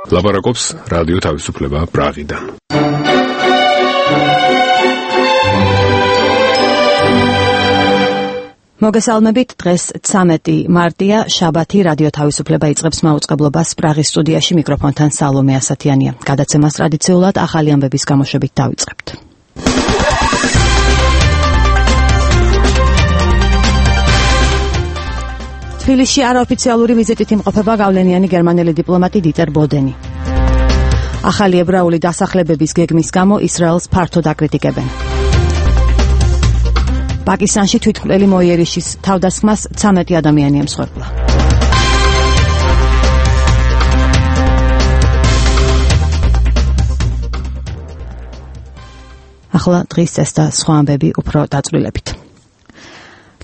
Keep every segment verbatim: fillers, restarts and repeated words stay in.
ლაპარაკობს რადიო თავისუფლება პრაღიდან. მოგესალმებით, დღეს ცამეტი მარტია, შაბათი, რადიო თავისუფლება იწყებს მაუწყებლობას პრაღის სტუდიაში, მიკროფონთან სალომე ასათიანია. გადაცემას ტრადიციულად ახალი ამბების გამოშვებით დავიწყებთ. თბილისში არაოფიციალური ვიზიტით იმყოფება გავლენიანი გერმანელი დიპლომატი დიტერ ბოდენი. ახალი ებრაული დასახლებების გეგმის გამო ისრაელს ფართოდ აკრიტიკებენ. პაკისტანში თვითმკვლელი მოიერიშის თავდასხმას ცამეტი ადამიანი ემსხვერპლა. ახლა დღის ეს და სხვა ამბები უფრო დაწვრილებით.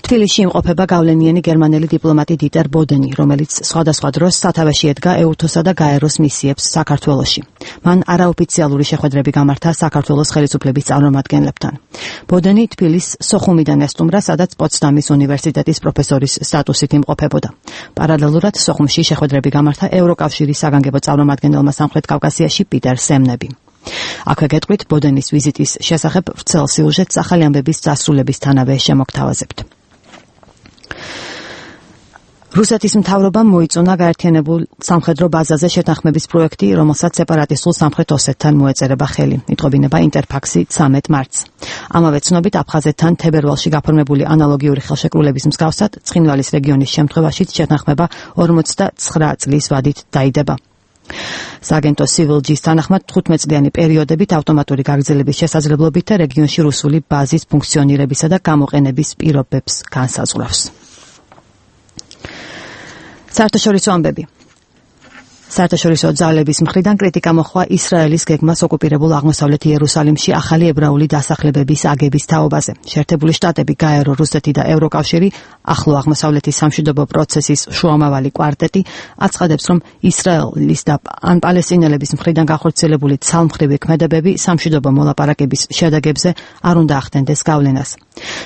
თბილისში იმყოფება გავლენიანი გერმანელი დიპლომატი დიტერ ბოდენი, რომელიც სხვადასხვა დროს სათავეში ედგა ეუთოსა და გაეროს მისიებს საქართველოში. მან არაოფიციალური შეხვედრები გამართა საქართველოს ხელისუფლების წარმომადგენლებთან. ბოდენი თბილის სოხუმიდან ესტუმრა, სადაც პოცდამის უნივერსიტეტის პროფესორის სტატუსით იმყოფებოდა. პარალელურად სოხუმში შეხვედრები გამართა ევროკავშირის საგანგებო წარმომადგენელმა სამხრეთ კავკასიაში პიტერ სემნები. აქვე გეტყვით ბოდენის ვიზიტის შესახებ ვრცელ სიუჟეტს ახალი ამბების დასრულებისთანავე შემოგთავაზებთ. რუსეთის მთავრობამ მოიწონა გაერთიანებულ სამხედრო ბაზაზე შეთანხმების პროექტი, რომელსაც სეპარატისტულ სამხრეთ ოსეთთან მოეწერება ხელი. იტყობინება ინტერფაქსი ცამეტ მარტს. ამავე ცნობით აფხაზეთთან თებერვალში გაფორმებული ანალოგიური ხელშეკრულების მსგავსად ცხინვალის რეგიონის შემთხვევაშიც შეთანხმება ორმოცდაცხრა წლის ვადით დაიდება. სააგენტო სივილჯის თანახმად თხუთმეტწლიანი პერიოდებით ავტომატური გაგრძელების შესაძლებლობით და რეგიონში რუსული ბაზის ფუნქციონირებისა და გამოყენების პირობებს განსაზღვრავს. საერთაშორისო ამბები. საერთაშორისო ძალების მხრიდან კრიტიკა მოჰყვა ისრაელის გეგმას ოკუპირებულ აღმოსავლეთ იერუსალიმში ახალი ებრაული დასახლებების აგების თაობაზე. შეერთებული შტატები, გაერო, რუსეთი და ევროკავშირი, ახლო აღმოსავლეთის სამშვიდობო პროცესის შუამავალი კვარტეტი აცხადებს, რომ ისრაელის და ან პალესტინელების მხრიდან განხორციელებული ცალმხრივი ქმედებები სამშვიდობო მოლაპარაკების შედეგებზე არ უნდა ახდენდეს გავლენას.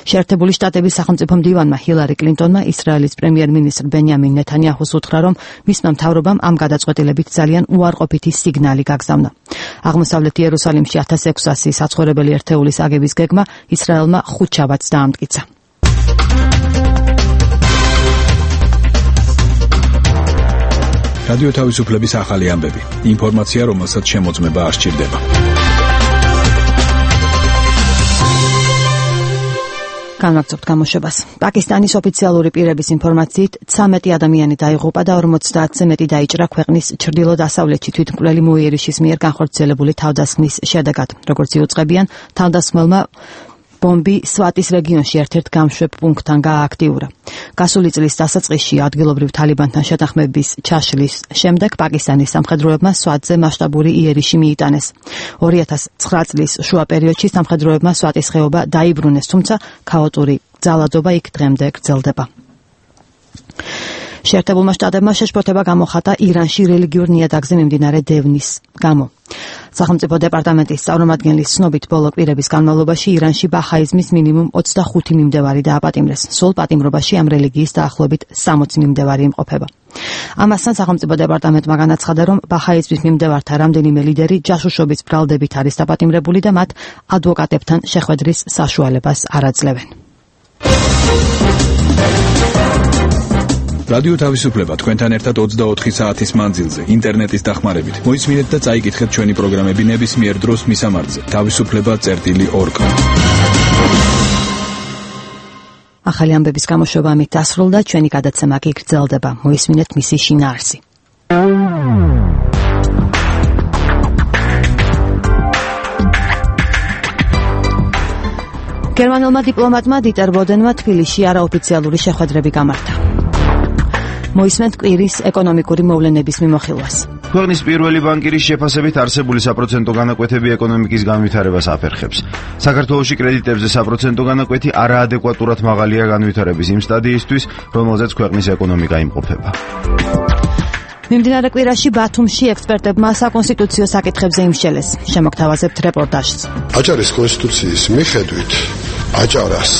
შეერთებული შტატების სახელმწიფო მდივანმა ჰილარი კლინტონმა ისრაელის პრემიერ-მინისტრ ბენიამინ ნეთანიაჰუს უთხრა, რომ მისმა მთავრობამ ამ გადაწყვეტილებით ძალიან უარყოფითი სიგნალი გაგზავნა. აღმოსავლეთ იერუსალიმში ათას ექვსასი საცხოვრებელი ერთეულის აგების გეგმა ისრაელმა ხუთშაბათს დაამტკიცა. რადიო თავისუფლების ახალი ამბები. ინფორმაცია, რომელსაც შემოწმება არ სჭირდება. განვაგრძობთ გამოშვებას. პაკისტანის ოფიციალური პირების ინფორმაციით ცამეტი ადამიანი დაიღუპა და ორმოცდაათზე მეტი დაიჭრა ქვეყნის ჩრდილო-დასავლეთში თვითმკვლელი მოიერიშის მიერ განხორციელებული თავდასხმის შედეგად. როგორც იუწყებიან, თავდასხმელმა ბომბი სვატის რეგიონში ერთ-ერთ გამშვებ პუნქტთან გაააქტიურა. გასული წლის დასაწყისში ადგილობრივ თალიბანთან შეთანხმების ჩაშლის შემდეგ პაკისტანის სამხედროებმა სვატზე მასშტაბური იერიში მიიტანეს. ორი ათას ცხრა წლის შუა პერიოდში სამხედროებმა სვატის ხეობა დაიბრუნეს, თუმცა ქაოტური ძალადობა იქ დღემდე გრძელდება. შეერთებულმა შტატებმა შეშფოთება გამოხატა ირანში რელიგიურ ნიადაგზე მიმდინარე დევნის გამო. სახელმწიფო დეპარტამენტის წარმომადგენლის ცნობით, ბოლო კვირების განმავლობაში ირანში ბაჰაიზმის მინიმუმ ოცდახუთი მიმდევარი დააპატიმრეს. სულ პატიმრობაში ამ რელიგიის დაახლოებით სამოცი მიმდევარი იმყოფება. ამასთან სახელმწიფო დეპარტამენტმა განაცხადა, რომ ბაჰაიზმის მიმდევართა რამდენიმე ლიდერი ჯაშუშობის ბრალდებით არის დაპატიმრებული და მათ ადვოკატებთან შეხვედრის საშუალებას არ აძლევენ. რადიო თავისუფლება თქვენთან ერთად ოცდაოთხი საათის მანძილზე ინტერნეტის დახმარებით. მოისმინეთ და წაიკითხეთ ჩვენი პროგრამები ნებისმიერ დროს მისამართზე თავისუფლება წერტილი ორ კომ. ახალი ამბების გამოშვება ამით დასრულდა, ჩვენი გადაცემა კი გრძელდება. მოისმინეთ მისი შინაარსი. გერმანელმა დიპლომატმა დიტერ ბოდენმა თბილისში არაოფიციალური შეხვედრები გამართა. მოისმენთ კვირის ეკონომიკური მოვლენების მიმოხილვას. ქვეყნის პირველი ბანკირის შეფასებით არსებული საპროცენტო განაკვეთები ეკონომიკის განვითარებას აფერხებს. საქართველოში კრედიტებზე საპროცენტო განაკვეთი არაადეკვატურად მაღალია განვითარების იმ სტადიისთვის, რომელზეც ქვეყნის ეკონომიკა იმყოფება. მიმდინარე კვირაში ბათუმში ექსპერტებმა საკონსტიტუციო საკითხებზე იმსჯელეს. შემოგთავაზებთ რეპორტაჟს. აჭარის კონსტიტუციის მიხედვით აჭარას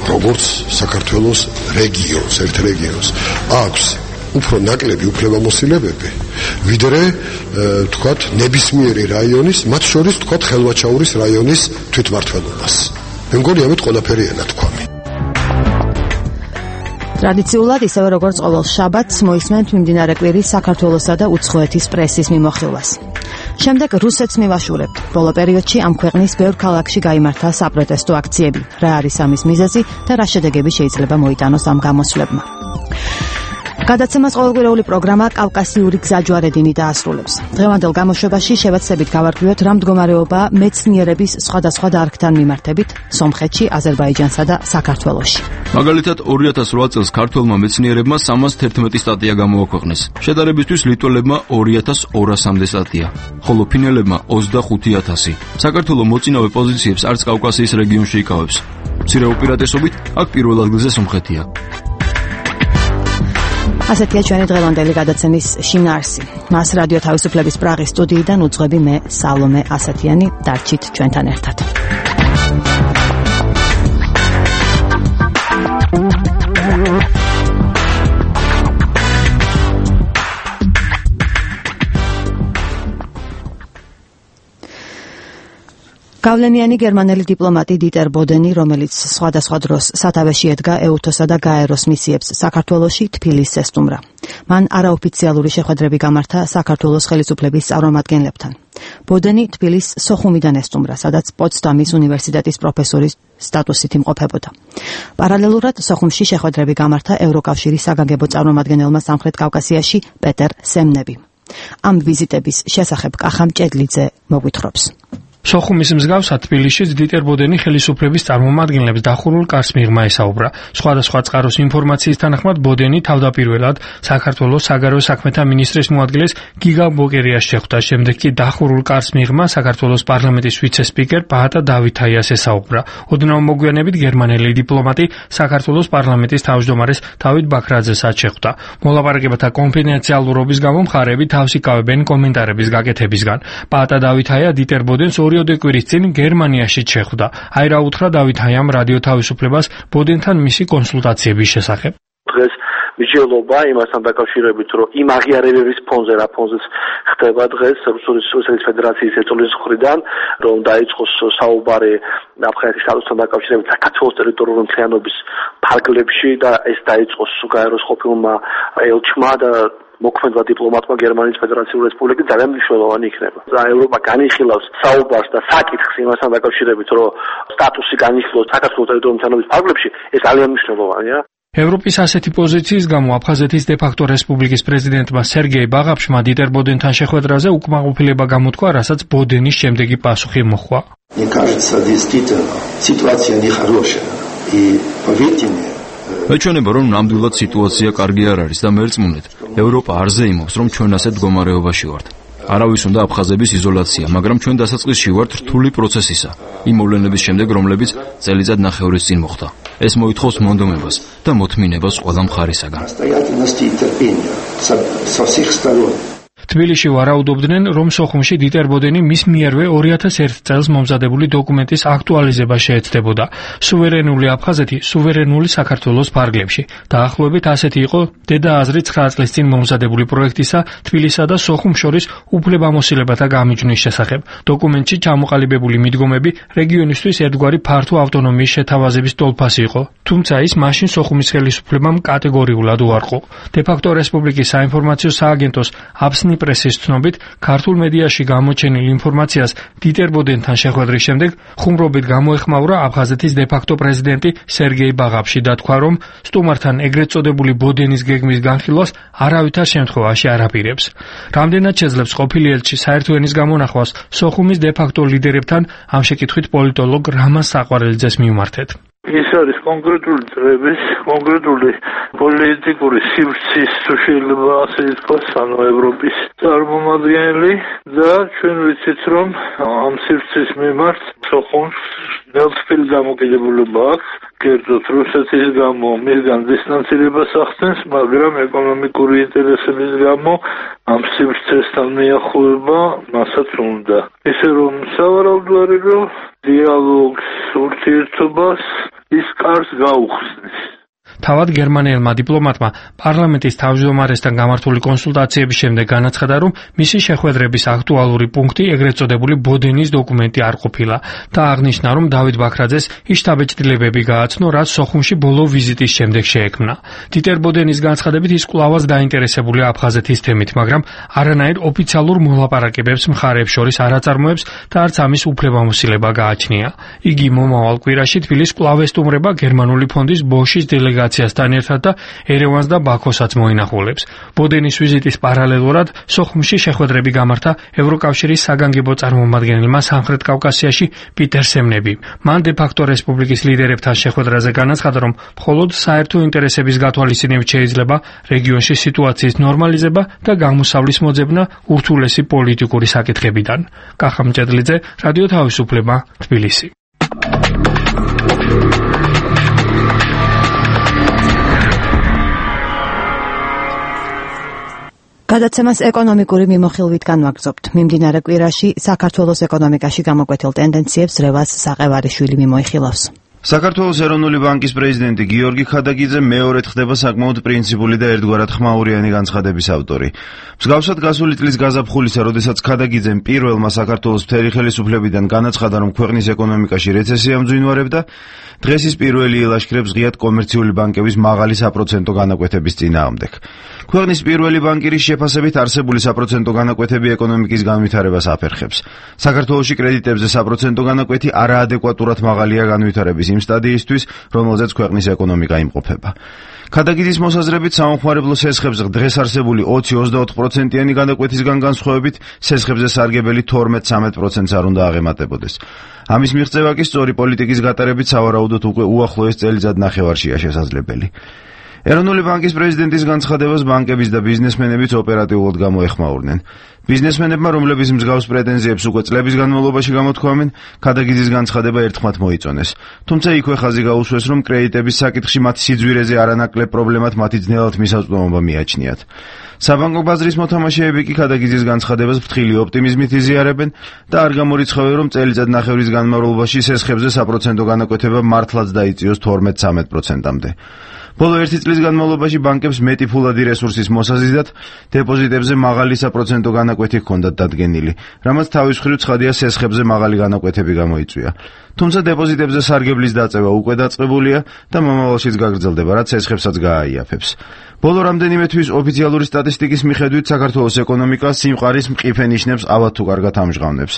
როგორც საქართველოს რეგიონს, ერთ რეგიონს აქვს უფრო ნაკლები უფლებამოსილებები, ვიდრე თქვათ ნებისმიერი რაიონის, მათ შორის თქვათ ხელვაჩაურის რაიონის თვითმმართველობას. მე მგონი ამით ყველაფერი ენათქვამი. ტრადიციულად ისევე როგორც ყოველ შაბათს მოისმენთ მიმდინარე კვირის საქართველოსა და უცხოეთის პრესის მიმოხილვას. შემდეგ რუსეთს მივაშურებთ. ბოლო პერიოდში ამ ქვეყნის ბევრ ქალაქში გაიმართა საპროტესტო აქციები. რა არის ამის მიზეზი და რა შედეგები შეიძლება მოიტანოს ამ გამოსვლებმა. გადაცემას ყოველკვირეული პროგრამა კავკასიური გზაჯვარედინი დაასრულებს. დღევანდელ გამოშვებაში შევეცდებით გავარკვიოთ რა მდგომარეობაა მეცნიერების სხვადასხვა დარგთან მიმართებით სომხეთში, აზერბაიჯანსა და საქართველოში. მაგალითად ორი ათას რვა წელს ქართველმა მეცნიერებმა სამას თერთმეტი სტატია გამოაქვეყნეს. შედარებისთვის ლიტველებმა ორი ათას ორასამდე სტატია, ხოლო ფინელებმა ოცდახუთი ათასი. საქართველო მოწინავე პოზიციებს არც კავკასიის რეგიონში იკავებს. მცირე უპირატესობით აქ პირველ ადგილზე სომხეთია. ასეთია ჩვენი დღევანდელი გადაცემის შინაარსი. მას რადიო თავისუფლების პრაღის სტუდიიდან უძღვები მე სალომე ასათიანი. დარჩით ჩვენთან ერთად. გავლენიანი გერმანელი დიპლომატი დიტერ ბოდენი, რომელიც სხვადასხვა დროს სათავეში ედგა ეუთოსა და გაეროს მისიებს საქართველოში, თბილისს ესტუმრა. მან არაოფიციალური შეხვედრები გამართა საქართველოს ხელისუფლების წარმომადგენლებთან. ბოდენი თბილისს სოხუმიდან ესტუმრა, სადაც პოცდამის უნივერსიტეტის პროფესორის სტატუსით იმყოფებოდა. პარალელურად სოხუმში შეხვედრები გამართა ევროკავშირის საგანგებო წარმომადგენელმა სამხრეთ კავკასიაში პეტერ სემნები. ამ ვიზიტების შესახებ კახამ ჭედლიძე მოგვითხრობს. სოხუმის მსგავსად თბილისშიც დიტერ ბოდენი ხელისუფლების წარმომადგენლებს დახურულ კარს მიღმა ესაუბრა. სხვადასხვა წყაროს ინფორმაციის თანახმად ბოდენი თავდაპირველად საქართველოს საგარეო საქმეთა მინისტრის მოადგილეს გიგა ბოკერიას შეხვდა, შემდეგ კი დახურულ კარს მიღმა საქართველოს პარლამენტის ვიცე-სპიკერ პაატა დავითაიას ესაუბრა. ოდნავ მოგვიანებით გერმანელი დიპლომატი საქართველოს პარლამენტის თავმჯდომარეს დავით ბაქრაძესაც შეხვდა. მოლაპარაკებათა კონფიდენციალურობის გამო მხარეები თავს იკავებენ კომენტარების გაკეთებისგან. პაატა დავითაია დიტერ ბოდენს ორი კვირის წინ გერმანიაში შეხვდა. აი რა უთხრა დავითაიამ რადიო თავისუფლებას ბოდენთან მისი კონსულტაციების შესახებ. დღეს მსჯელობა იმასთან დაკავშირებით, რომ იმ აღიარებების ფონზე, რა ფონზეც ხდება დღეს რუსეთის ფედერაციის ერწოლის მხრიდან, რომ დაიწყოს საუბარი აფხაზეთის სტატუსთან დაკავშირებით საქართველოს ტერიტორიული მთლიანობის ფარგლებში და ეს დაიწყოს გაეროს ყოფილმა ელჩმა და მოქმედმა დიპლომატმა გერმანიის ფედერაციული რესპუბლიკის ძალიან მნიშვნელოვანი იქნება. ევროპა განიხილავს საუბარს და საკითხს იმასთან დაკავშირებით, რომ სტატუსი განიხილოს საქართველოს ტერიტორიული მთლიანობის ფარგლებში, ეს ძალიან მნიშვნელოვანია. ევროპის ასეთი პოზიციის გამო აფხაზეთის დე-ფაქტო რესპუბლიკის პრეზიდენტმა სერგეი ბაღაფშმა დიტერ ბოდენთან შეხვედრაზე უკმაყოფილება გამოთქვა, რასაც ბოდენის შემდეგი პასუხი მოჰყვა. Мне кажется, действительно, ситуация нехорошая. И поверьте мне, მეჩვენება რომ ნამდვილად სიტუაცია კარგი არ არის და მერწმუნეთ, ევროპა არ ზეიმობს რომ ჩვენ ასეთ მდგომარეობაში ვართ. არავის უნდა აფხაზების იზოლაცია, მაგრამ ჩვენ დასაწყისში ვართ რთული პროცესისა, იმ მოვლენების შემდეგ, რომლებიც წელიწად ნახევრის წინ მოხდა. ეს მოითხოვს მონდომებას და მოთმინებას ყველა მხარისაგან. თბილისში ვარაუდობდნენ, რომ სოხუმში დიტერ ბოდენი მის მიერვე ორი ათას ერთ წელს მომზადებული დოკუმენტის აქტუალიზება შეეცდებოდა. სუვერენული აფხაზეთი, სუვერენული საქართველოს ფარგლებში. დაახლოებით ასეთი იყო დედა აზრი ცხრა წლის წინ მომზადებული პროექტისა თბილისსა და სოხუმს შორის უფლებამოსილებათა გამიჯვნის შესახებ. დოკუმენტში ჩამოყალიბებული მიდგომები რეგიონისთვის ერთგვარი ფართო ავტონომიის შეთავაზების ტოლფასი იყო. თუმცა ის მაშინ სოხუმის ხელისუფლებამ კატეგორიულად უარყო. დე-ფაქტო რესპუბლიკის საინფორმაციო სააგენტოს აბსნი პრესის ცნობით, ქართულ მედიაში გამოჩენილ ინფორმაციას დიტერ ბოდენთან შეხვედრის შემდეგ ხუმრობით გამოეხმაურა აფხაზეთის დე-ფაქტო პრეზიდენტი სერგეი ბაღაფში და თქვა, რომ სტუმართან ეგრეთ წოდებული ბოდენის გეგმის განხილვას არავითარ შემთხვევაში არ აპირებს. რამდენად შეძლებს ყოფილი ელჩი საერთო ენის გამონახვას სოხუმის დე-ფაქტო ლიდერებთან, ამ შეკითხვით პოლიტოლოგ რამაზ საყვარელიძეს მივმართეთ. ის არის კონკრეტული წრების, კონკრეტული პოლიტიკური სივრცის, თუ შეიძლება ასე ითქვას, ანუ ევროპის წარმომადგენელი და ჩვენ ვიცით, რომ ამ სივრცის მიმართ სოხუმს ნელსფილ დამოკიდებულება აქვს, კერძოდ რუსეთის გამო მისგან დისტანცირებას ახდენს, მაგრამ ეკონომიკური ინტერესების გამო ამ სივრცესთან მიახლოება მასაც უნდა. ისე რომ სავარაუდო არის, რომ დიალოგს, ურთიერთობას ის კარს გაუხსნის. თავად გერმანელმა დიპლომატმა პარლამენტის თავმჯდომარესთან გამართული კონსულტაციების შემდეგ განაცხადა, რომ მისი შეხვედრების აქტუალური პუნქტი ეგრეთ წოდებული ბოდენის დოკუმენტი არ ყოფილა და აღნიშნა, რომ დავით ბაქრაძეს ის შთაბეჭდილებები გააცნო, რაც სოხუმში ბოლო ვიზიტის შემდეგ შეექმნა. დიტერ ბოდენის განცხადებით ის კვლავაც დაინტერესებულია აფხაზეთის თემით, მაგრამ არანაირ ოფიციალურ მოლაპარაკებებს მხარეებს შორის არ აწარმოებს და არც ამის უფლებამოსილება გააჩნია. იგი მომავალ კვირაში თბილისს კვლავ ესტუმრება გერმანული ფონდის ბოშის დელეგაციასთან ერთად და ერევანს და ბაქოსაც მოინახულებს. ბოდენის ვიზიტის პარალელურად სოხუმში შეხვედრები გამართა ევროკავშირის საგანგებო წარმომადგენელმა სამხრეთ კავკასიაში პიტერ სემნები. მან დე-ფაქტო რესპუბლიკის ლიდერებთან შეხვედრაზე განაცხადა, რომ მხოლოდ საერთო ინტერესების გათვალისწინებით შეიძლება რეგიონში სიტუაციის ნორმალიზება და გამოსავლის მოძებნა ურთულესი პოლიტიკური საკითხებიდან. კახა მჭედლიძე, რადიო თავისუფლება, თბილისი. გადაცემას ეკონომიკური მიმოხილვით განვაგრძობთ. მიმდინარე კვირაში საქართველოს ეკონომიკაში გამოკვეთილ ტენდენციებს რევაზ საყევარიშვილი მიმოიხილავს. საქართველოს ეროვნული ბანკის პრეზიდენტი გიორგი ხადაგიძე მეორედ ხდება საკმაოდ პრინციპული და ერთგვარად ხმაურიანი განცხადების ავტორი. მსგავსად გასული წლის გაზაფხულისა, როდესაც ხადაგიძემ პირველმა საქართველოს მთელი ხელისუფლებიდან განაცხადა, რომ ქვეყნის ეკონომიკაში რეცესია მძვინვარებდა, დღეს ის პირველი ილაშქრებს ღიად კომერციული ბანკების მაღალი საპროცენტო განაკვეთების წინააღმდეგ. ქვეყნის პირველი ბანკირის შეფასებით არსებული საპროცენტო განაკვეთები ეკონომიკის განვითარებას აფერხებს. საქართველოში კრედიტებზე საპროცენტო განაკვეთი არაადეკვატურად მაღალია განვითარების იმ სტადიისთვის, რომელზეც ქვეყნის ეკონომიკა იმყოფება. ხადაგიძის მოსაზრებით სამომხმარებლო სესხებზე დღეს არსებული ოცი ოცდაოთხ პროცენტიანი განაკვეთისგან განსხვავებით სესხებზე სარგებელი თორმეტ ცხრამეტ პროცენტს არ უნდა აღემატებოდეს. ამის მიღწევა კი სწორი პოლიტიკის გატარებით სავარაუდოდ უკვე უახლოეს წელიწად ნახევარშია შესაძლებელი. ეროვნული ბანკის პრეზიდენტის განცხადებას ბანკების და ბიზნესმენებიც ოპერატიულად გამოეხმაურნენ. ბიზნესმენებმა, რომლებიც მსგავს პრეტენზიებს უკვე წლების განმავლობაში გამოთქვამენ, ხადაგიძის განცხადება ერთხმად მოიწონეს. თუმცა იქვე ხაზი გაუსვეს, რომ კრედიტების საკითხში მათ სიძვირეზე არანაკლებ პრობლემად მათი ძნელად მისაწვდომობა მიაჩნიათ. საბანკო ბაზრის მოთამაშეები კი ხადაგიძის განცხადებას ფრთხილი ოპტიმიზმით იზიარებენ და არ გამორიცხავენ, რომ წელიწად ნახევრის განმავლობაში სესხებზე საპროცენტო განაკვეთება მართლაც დაიწიოს თორმეტ ცხრამეტ პროცენტამდე. ბოლო ერთი წლის განმავლობაში ბანკებს მეტი ფულადი რესურსის მოსაზიდად დეპოზიტებზე მაღალი საპროცენტო განაკვეთი ჰქონდათ დადგენილი, რამაც თავის მხრივ ცხადია სესხებზე მაღალი განაკვეთები გამოიწვია. თუმცა დეპოზიტებზე სარგებლის დაწევა უკვე დაწყებულია და მომავალშიც გაგრძელდება, რაც სესხებსაც გააიაფებს. ბოლო რამდენიმე თვის ოფიციალური სტატისტიკის მიხედვით საქართველოს ეკონომიკა სიმყარის მყიფე ნიშნებს ავად თუ კარგად ამჟღავნებს.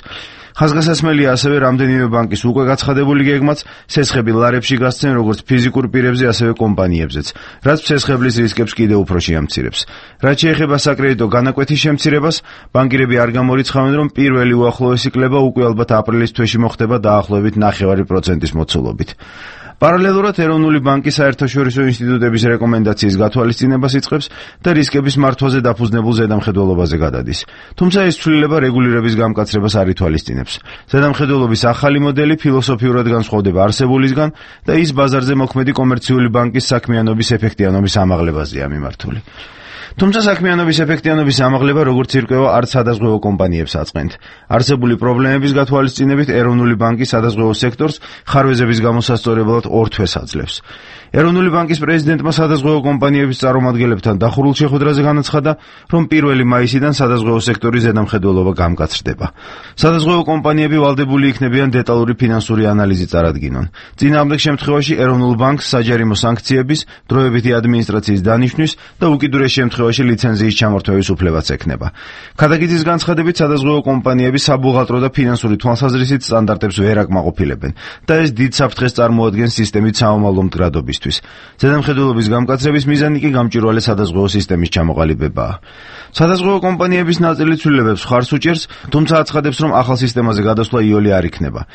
ხაზგასასმელია ასევე რამდენიმე ბანკის უკვე გაცხადებული გეგმაც სესხები ლარებში გასცენ როგორც ფიზიკურ პირებზე, ასევე კომპანიებზეც, რაც სესხებლის რისკებს კიდევ უფრო შეამცირებს. რაც შეეხება საკრედიტო განაკვეთის შემცირებას, ბანკირები არ გამორიცხავენ, რომ პირველი უახლოესი კლება უკვე ალბათ აპრილის თვეში მოხდება დაახლოებით ნახევარი პროცენტის მოცულობით. პარალელურად ეროვნული ბანკი საერთაშორისო ინსტიტუტების რეკომენდაციის გათვალისწინებას იწყებს და რისკების მართვაზე დაფუძნებულ ზედამხედველობაზე გადადის. თუმცა ეს ცვლილება რეგულირების გამკაცრებას არ ითვალისწინებს. ზედამხედველობის ახალი მოდელი ფილოსოფიურად განსხვავდება არსებულისგან და ის ბაზარზე მოქმედი კომერციული ბანკის საქმიანობის ეფექტიანობის ამაღლებაზეა მიმართული. თუმცა საქმიანობის ეფექტიანობის ამაღლება როგორც ირკვევა არც სადაზღვევო კომპანიებს აწყენთ. არსებული პრობლემების გათვალისწინებით ეროვნული ბანკი სადაზღვევო სექტორს ხარვეზების გამოსასწორებლად ორ თვეს აძლევს. ეროვნული ბანკის პრეზიდენტმა სადაზღვევო კომპანიების წარმომადგენლებთან დახურულ შეხვედრაზე განაცხადა, რომ პირველი მაისიდან სადაზღვევო სექტორის ზედამხედველობა გამკაცრდება. სადაზღვევო კომპანიები ვალდებული იქნებიან დეტალური ფინანსური ანალიზი წარადგინონ. წინააღმდეგ შემთხვევაში ეროვნულ ბანკს საჯარიმო სანქციების, დროებითი ადმინისტრაციის დანიშვნის და უკიდურეს შემთხვევაში ლიცენზიის ჩამორთმევის უფლებაც ექნება. ხადაგიძის განცხადებით სადაზღვევო კომპანიები საბუღალტრო და ფინანსური თვალსაზრისით სტანდარტებს ვერ აკმაყოფილებენ და ეს დიდ საფრთხეს წარმოადგენს სისტემით საომალო მდგრადობისთვის. ზედამხედველობის გამკაცრების მიზანი კი გამჭვირვალე სადაზღვევო სისტემის ჩამოყალიბებაა. სადაზღვევო კომპანიების ნაწილი ცვლილებებს ხარს უჭერს, თუმცა აცხადებს, რომ ახალ სისტემაზე გადასვლა იოლი არ იქნება.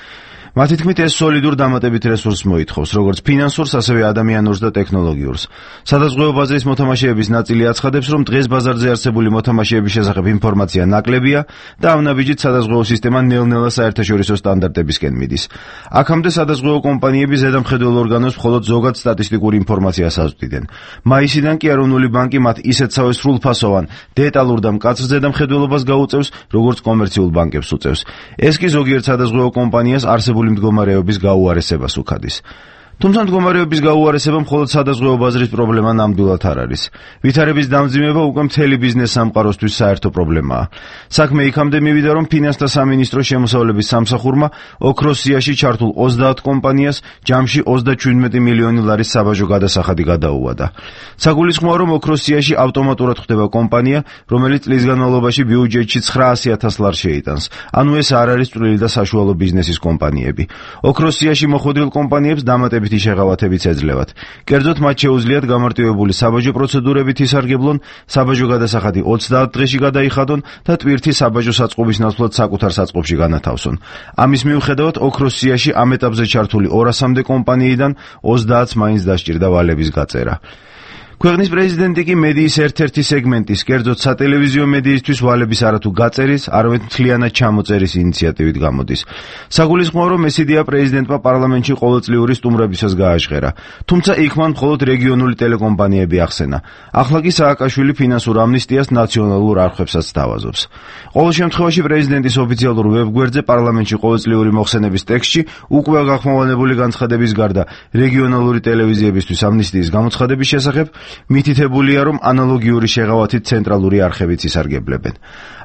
მათი თქმით, ეს სოლიდურ დამატებით რესურსს მოითხოვს, როგორც ფინანსურს, ასევე ადამიანურს და ტექნოლოგიურს. სადაზღვევო ბაზრის მოთამაშეების ნაწილი აცხადებს, რომ დღეს ბაზარზე არსებული მოთამაშეების შესახებ ინფორმაცია ნაკლებია და ამ ნაბიჯით სადაზღვევო სისტემა ნელ-ნელა საერთაშორისო სტანდარტებისკენ მიდის. აქამდე სადაზღვევო კომპანიები ზედამხედველ ორგანოს მხოლოდ ზოგად სტატისტიკურ ინფორმაციას აზრდიდნენ. მაისიდან კი ეროვნული ბანკი მათ ისეთსავე სრულფასოვან, დეტალურ და მკაცრ ზედამხედველობას გაუწევს, როგორც კომერციულ ბანკებს უწევს. ეს კი ზოგიერთ სადაზღვევო კომპანიას არსებული მდგომარეობის გაუარესებას უხადის. თუმცა მდგომარეობის გაუარესება მხოლოდ სადაზღვევო ბაზრის პრობლემა ნამდვილად არ არის. ვითარების დამძიმება უკვე მთელი ბიზნეს სამყაროსთვის საერთო პრობლემაა. საქმე იქამდე მივიდა, რომ ფინანსთა სამინისტროს შემოსავლების სამსახურმა ოქროს სიაში ჩართულ ოცდაათ კომპანიას ჯამში ოცდაჩვიდმეტი მილიონი ლარის საბაჟო გადასახადი გადაუვადა. საგულისხმოა, რომ ოქროს სიაში ავტომატურად ხდება კომპანია, რომელიც წლის განმავლობაში ბიუჯეტში ცხრაასი ათას ლარს შეიტანს. ანუ ეს არ არის წვრილი და საშუალო ბიზნესის კომპანიები. ოქროს სიაში მოხვედრილ კომპანიებს დამატებითი შეღავათებიც ეძლევათ. კერძოდ მათ შეუძლიათ გამარტივებული საბაჟო პროცედურებით ისარგებლონ, საბაჟო გადასახადი ოცდაათ დღეში გადაიხადონ და ტვირთი საბაჟო საწყობის ნაცვლად საკუთარ საწყობში განათავსონ. ამის მიუხედავად ოქროს სიაში ამ ეტაპზე ჩართული ორასამდე კომპანიიდან ოცდაათს მაინც დასჭირდა ვალების გაწერა. ქვეყნის პრეზიდენტი კი მედიის ერთ-ერთი სეგმენტის, კერძოდ სატელევიზიო მედიისთვის ვალების არათუ გაწერის, არამედ მთლიანად ჩამოწერის ინიციატივით გამოდის. საგულისხმოა, რომ ეს იდეა პრეზიდენტმა პარლამენტში ყოველწლიური სტუმრებისას გააჟღერა. თუმცა იქ მან მხოლოდ რეგიონული ტელეკომპანიები ახსენა. ახლა კი სააკაშვილი ფინანსურ ამნისტიას ნაციონალურ არხებსაც სთავაზობს. ყოველ შემთხვევაში პრეზიდენტის ოფიციალურ ვებგვერდზე პარლამენტში ყოველწლიური მოხსენების ტექსტში უკვე გახმოვანებული განცხადების გარდა რეგიონალური ტელევიზიებისთვის ამნისტიის გამოცხადების შესახებ მითითებულია, რომ ანალოგიური შეღავათით ცენტრალური არხებიც ისარგებლებენ.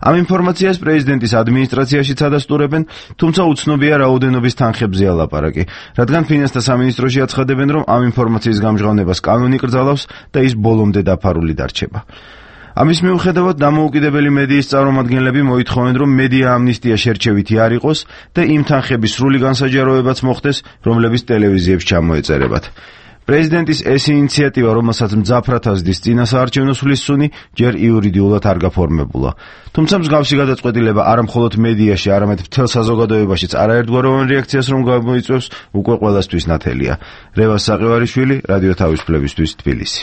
ამ ინფორმაციას პრეზიდენტის ადმინისტრაციაშიც ადასტურებენ, თუმცა უცნობია რაოდენობის თანხებზეა ლაპარაკი, რადგან ფინანსთა სამინისტროში აცხადებენ, რომ ამ ინფორმაციის გამჟღავნებას კანონი კრძალავს და ის ბოლომდე დაფარული დარჩება. ამის მიუხედავად დამოუკიდებელი მედიის წარმომადგენლები მოითხოვენ, რომ მედია ამნისტია შერჩევითი არ იყოს და იმ თანხების სრული განსაჯაროებაც მოხდეს, რომლებიც ტელევიზიებს ჩამოეწერებათ. პრეზიდენტის ეს ინიციატივა, რომელსაც მძაფრად ასდის წინასაარჩევნო სულისწუნი, ჯერ იურიდიულად არ გაფორმებულა. თუმცა მსგავსი გადაწყვეტილება არა მხოლოდ მედიაში, არამედ მთელ საზოგადოებაშიც არაერთგვაროვან რეაქციას რომ გამოიწვევს, უკვე ყველასთვის ნათელია. რევაზ საყივარიშვილი, რადიო თავისუფლებისთვის, თბილისი.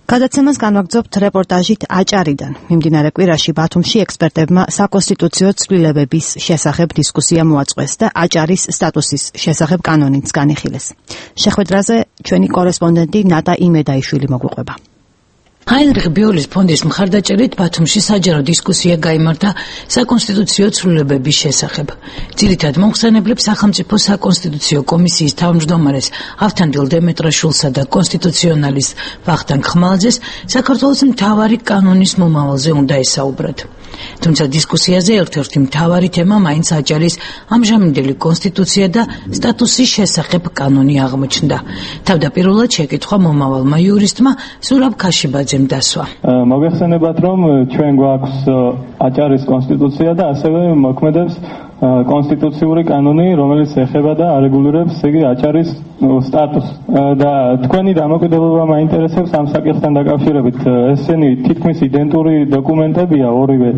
გადაცემას განვაგრძობთ რეპორტაჟით აჭარიდან. მიმდინარე კვირაში ბათუმში ექსპერტებმა საკონსტიტუციო ცვლილებების შესახებ დისკუსია მოაწყვეს და აჭარის სტატუსის შესახებ კანონიც განიხილეს. შეხვედრაზე ჩვენი კორესპონდენტი ნატა იმედაიშვილი მოგვიყვება. ჰაინრიხ ბიოლის ფონდის მხარდაჭერით ბათუმში საჯარო დისკუსია გაიმართა საკონსტიტუციო ცვლილებების შესახებ. ძირითად მომხსენებლებს სახელმწიფო საკონსტიტუციო კომისიის თავმჯდომარეს ავთანდილ დემეტრაშვილსა და კონსტიტუციონალის ვახტანგ ხმალაძეს საქართველოს მთავარი კანონის მომავალზე უნდა ესაუბრათ. თუმცა დისკუსიაზე ერთ-ერთი მთავარი თემა მაინც აჭარის ამჟამინდელი კონსტიტუცია და სტატუსის შესახებ კანონი აღმოჩნდა. თავდაპირველად შეკითხვა მომავალმა იურისტმა ზურაბ ქაშიბაძემ დასვა. მოგეხსენებათ, რომ ჩვენ გვაქვს აჭარის კონსტიტუცია და ასევე მოქმედებს კონსტიტუციური კანონი, რომელიც ეხება და არეგულირებს იგი აჭარის სტატუსს. და თქვენი დამოკიდებულება მაინტერესებს ამ საკითხთან დაკავშირებით. ესენი თითქმის იდენტური დოკუმენტებია ორივე.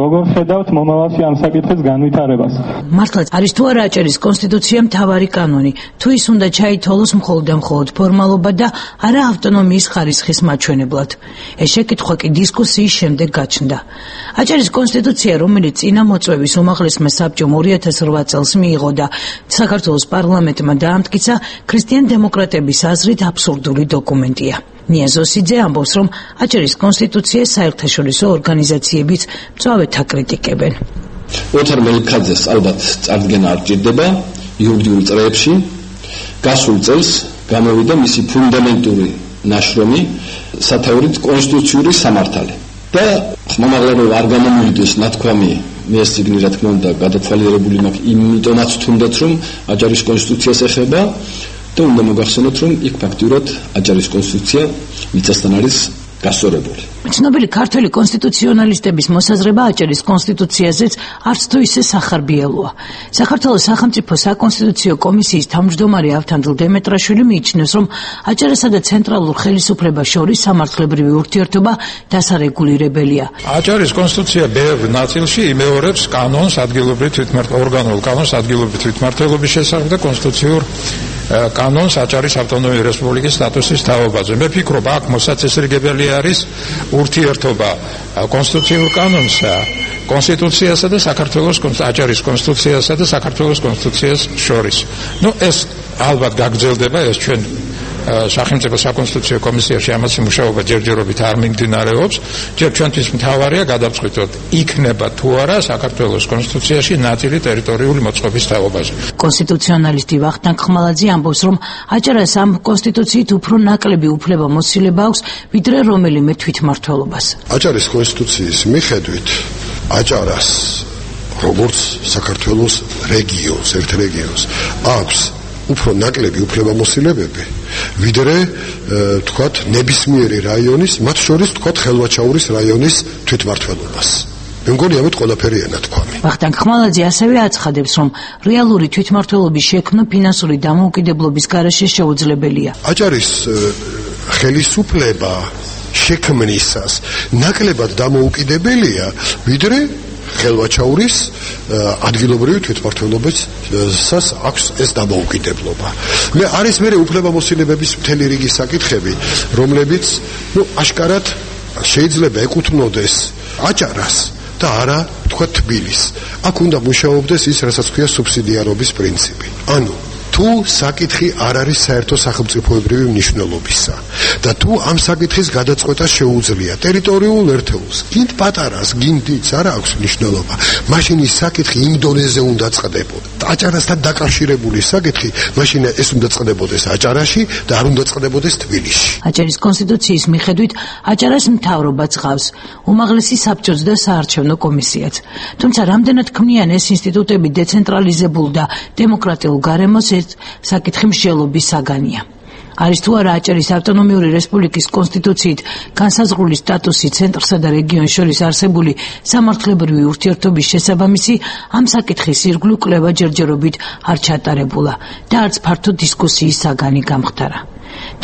როგორ ხედავთ მომავალში ამ საკითხის განვითარებას? მართლაც არის თუ არა აჭარის კონსტიტუცია მთავარი კანონი, თუ ის უნდა ჩაითვალოს მხოლოდ და მხოლოდ ფორმალობა და არა ავტონომიის ხარისხის მაჩვენებლად. ეს შეკითხვა კი დისკუსიის შემდეგ გაჩნდა. აჭარის კონსტიტუცია, რომელიც წინა მოწვევის უმაღლესმა საბჭომ ორი ათას რვა წელს მიიღო და საქართველოს პარლამენტმა დაამტკიცა, ქრისტიან დემოკრატების აზრით აბსურდული დოკუმენტია. ნია ზოსიძე ამბობს, რომ აჭარის კონსტიტუციას საერთაშორისო ორგანიზაციებიც მწვავედ აკრიტიკებენ. ოთარ მელიქაძეს ალბათ წარდგენა არ ჭირდება იურიდიულ წრეებში. გასულ წელს გამოვიდა მისი ფუნდამენტური ნაშრომი სათეორით კონსტიტუციური სამართალი. და ხმამაღლა არ გამომივიდეს ნათქვამი, მე ეს ციგნი რა თქმა უნდა გადათვალიერებული მაქვს, იმიტომაც თუნდაც რომ აჭარის კონსტიტუციას ეხება და უნდა მოგახსენოთ, რომ იქ ფაქტიურად აჭარის კონსტიტუცია მიწასთან არის გასწორებული. ცნობილი ქართველი კონსტიტუციონალისტების მოსაზრება აჭარის კონსტიტუციაზეც არც თუ ისე სახარბიელოა. საქართველოს სახელმწიფო საკონსტიტუციო კომისიის თავმჯდომარე ავთანდილ დემეტრაშვილი მიიჩნევს, რომ აჭარასა და ცენტრალურ ხელისუფლებას შორის სამართლებრივი ურთიერთობა დასარეგულირებელია. აჭარის კონსტიტუცია ბევრ ნაწილში იმეორებს კანონს ადგილობრივი თვითმმართველობის ორგანულ კანონს ადგილობრივი თვითმმართველობის შესახებ და კონსტიტუციურ კანონს აჭარის ავტონომიური რესპუბლიკის სტატუსის თაობაზე. მე ვფიქრობ, აქ მოსაწესრიგებელი არის ურთიერთობა კონსტიტუციურ კანონსა, კონსტიტუციასა და საქართველოს აჭარის კონსტიტუციასა და საქართველოს კონსტიტუციას შორის. ნუ ეს ალბათ გაგრძელდება, ეს ჩვენ სახელმწიფო საკონსტიტუციო კომისიაში ამაზე მუშაობა ჯერჯერობით არ მიმდინარეობს. ჯერ ჩვენთვის მთავარია გადავწყვიტოთ, იქნება თუ არა საქართველოს კონსტიტუციაში ნაწილი ტერიტორიული მოწყობის თაობაზე. კონსტიტუციონალისტი ვახტანგ ხმალაძე ამბობს, რომ აჭარას ამ კონსტიტუციით უფრო ნაკლები უფლება მოცილება აქვს, ვიდრე რომელიმე თვითმმართველობას. აჭარის კონსტიტუციის მიხედვით აჭარას როგორც საქართველოს რეგიონს, ერთ რეგიონს აქვს უფრო ნაკლები უფლებამოსილებები, ვიდრე თქვათ ნებისმიერი რაიონის, მათ შორის თქვათ ხელვაჩაურის რაიონის თვითმმართველობას. მე მგონი ამით ყველაფერი ენათქვამი. ვახტანგ ხმალაძე ასევე აცხადებს, რომ რეალური თვითმმართველობის შექმნა ფინანსური დამოუკიდებლობის გარეშე შეუძლებელია. აჭარის ხელისუფლება შექმნისას ნაკლებად დამოუკიდებელია, ვიდრე ხელვაჩაურის ადგილობრივი თვითმმართველობისას აქვს ეს დამოუკიდებლობა. მე არის მე უფლებამოსილებების მთელი რიგი საკითხები, რომლებიც ნუ აშკარად შეიძლება ეკუთვნოდეს აჭარას და არა თქვა თბილისს. აქ უნდა მუშაობდეს ის, რასაც ქვია სუბსიდიარობის პრინციპი. ანუ თუ საკითხი არ არის საერთო სახელმწიფოებრივი მნიშვნელობისა და თუ ამ საკითხის გადაწყვეტა შეუძლია ტერიტორიულ ერთეულს, გინდ პატარას, გინდ დიდს არ აქვს მნიშვნელობა, მაშინ ის საკითხი იმ დონეზე უნდა წყდებოდა. აჭარასთან დაკავშირებული საკითხი, მაშინ ეს უნდა წყდებოდეს აჭარაში და არ უნდა წყდებოდეს თბილისში. აჭარის კონსტიტუციის მიხედვით აჭარას მთავრობა ცხავს, უმაღლესი საბჭოც და საარჩევნო კომისიაც. თუმცა რამდენად ქმნიან ეს ინსტიტუტები დეცენტრალიზებულ და დემოკრატიულ გარემოს საკითხი მსჯელობის საგანია. არის თუ არა აჭარის ავტონომიური რესპუბლიკის კონსტიტუციით განსაზღვრული სტატუსი ცენტრსა და რეგიონს შორის არსებული სამართლებრივი ურთიერთობის შესაბამისი, ამ საკითხის ირგვლივ კვლევა ჯერჯერობით არ ჩატარებულა და არც ფართო დისკუსიის საგანი გამხდარა.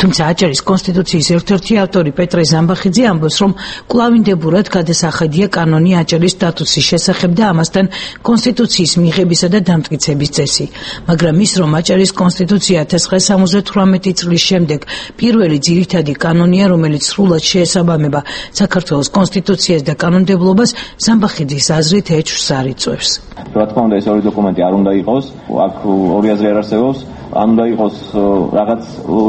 თუმცა აჭარის კონსტიტუციის ერთ-ერთი ავტორი პეტრე ზამბახიძე ამბობს, რომ კვლავინდებურად გადასახედია კანონი აჭარის სტატუსის შესახებ და ამასთან კონსტიტუციის მიღებისა და დამტკიცების წესი. მაგრამ ის, რომ აჭარის კონსტიტუცია千九百ოცდაოთხი წლის შემდეგ პირველი ძირითადი კანონია, რომელიც სრულად შეესაბამება საქართველოს კონსტიტუციას და კანონმდებლობას, ზამბახიძის აზრით ეჭვს არ იწვევს. რა თქმა უნდა, ეს ორი დოკუმენტი არ უნდა იყოს, აქ ორი აზრი არ არსებობს. არ უნდა იყოს რაღაც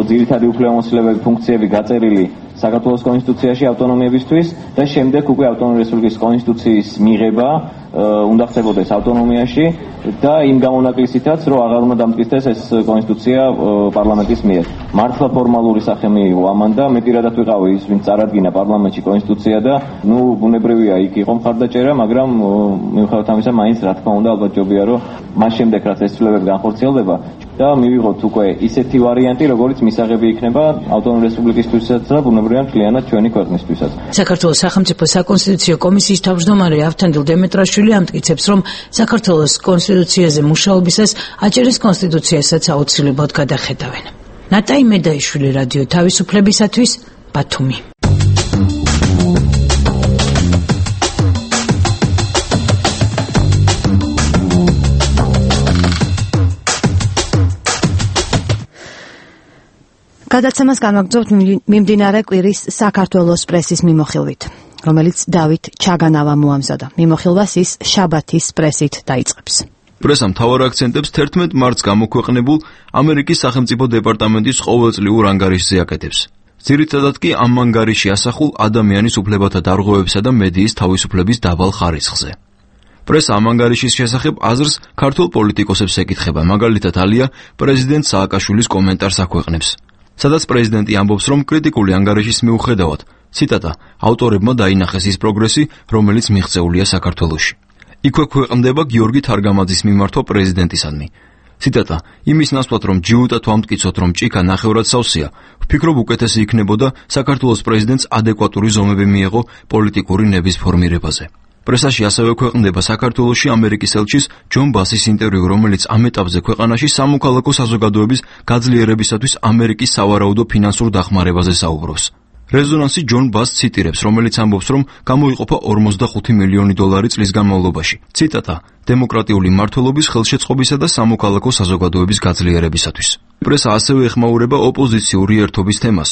ძირითადი უფლებამოსილებები, ფუნქციები გაწერილი საქართველოს კონსტიტუციაში ავტონომიებისთვის და შემდეგ უკვე ავტონომიური რესპუბლიკის კონსტიტუციის მიღება უნდა ხდებოდეს ავტონომიაში და იმ გამონაკლისითაც, რომ აღარ უნდა დამტკიცდეს ეს კონსტიტუცია პარლამენტის მიერ. მართლა ფორმალური სახე მიიღო ამან და მეტირადად ვიყავი ის, ვინც წარადგინა პარლამენტში კონსტიტუცია და ნუ ბუნებრივია იქ იყო მხარდაჭერა, მაგრამ მიუხედავად ამისა, მაინც რა თქმა უნდა ალბათ ჯობია, რომ მას შემდეგ რაც ეს ცვლილებები განხორციელდება და მივიღოთ უკვე ისეთი ვარიანტი, როგორც მისაღები იქნება ავტონომიური რესპუბლიკისთვისაც და ბუნებრივია მთლიანად ჩვენი ქვეყნისთვისაც. საქართველოს სახელმწიფო საკონსტიტუციო კომისიის თავმჯდომარე ავთანდილ დემეტრაშვილი ამტკიცებს, რომ საქართველოს კონსტიტუციაზე მუშაობისას აჭარის კონსტიტუციასაც აუცილებლად გადახედავენ. ნატაი მედაიშვილი, რადიო თავისუფლებისათვის, ბათუმი. გადაცემას განვაგრძობთ მიმდინარე კვირის საქართველოს პრესის მიმოხილვით, რომელიც დავით ჩაგანავა მოამზადა. მიმოხილვას ის შაბათის პრესით დაიწყებს. პრესა მთავარ აქცენტებს თერთმეტ მარტს გამოქვეყნებულ ამერიკის სახელმწიფო დეპარტამენტის ყოველწლიურ ანგარიშზე აკეთებს. ძირითადად კი ამ ანგარიში ასახულ ადამიანის უფლებათა დარღვევებსა და მედიის თავისუფლების დაბალ ხარისხზე. პრესა ამ ანგარიშის შესახებ აზრს ქართულ პოლიტიკოსებს ეკითხება, მაგალითად ალია პრეზიდენტ სააკაშვილის კომენტარს აქვეყნებს, სადაც პრეზიდენტი ამბობს, რომ კრიტიკული ანგარიშის მიუხედავად, ციტატა, ავტორებმა დაინახეს ის პროგრესი, რომელიც მიღწეულია საქართველოში. იქვე ქვეყნდება გიორგი თარგამაძის მიმართვა პრეზიდენტისადმი. ციტატა, იმის ნაცვლად, რომ ჯიუტად ვამტკიცოთ, რომ ჭიქა ნახევრად სავსეა, ვფიქრობ უკეთესი იქნებოდა საქართველოს პრეზიდენტს ადეკვატური ზომები მიეღო პოლიტიკური ნების ფორმირებაზე. პრესაში ასევე ქვეყნდება საქართველოში ამერიკის ელჩის ჯონ ბასის ინტერვიუ, რომელიც ამ ეტაპზე ქვეყანაში სამოქალაქო საზოგადოების გაძლიერებისათვის ამერიკის სავარაუდო ფინანსურ დახმარებაზე საუბრობს. რეზონანსი ჯონ ბასს ციტირებს, რომელიც ამბობს, რომ გამოიყოფა ორმოცდახუთი მილიონი დოლარი წლის განმავლობაში. ციტატა, დემოკრატიული მმართველობის ხელშეწყობისა და სამოქალაქო საზოგადოების გაძლიერებისათვის. პრესა ასევე ეხმაურება ოპოზიციური ერთობის თემას.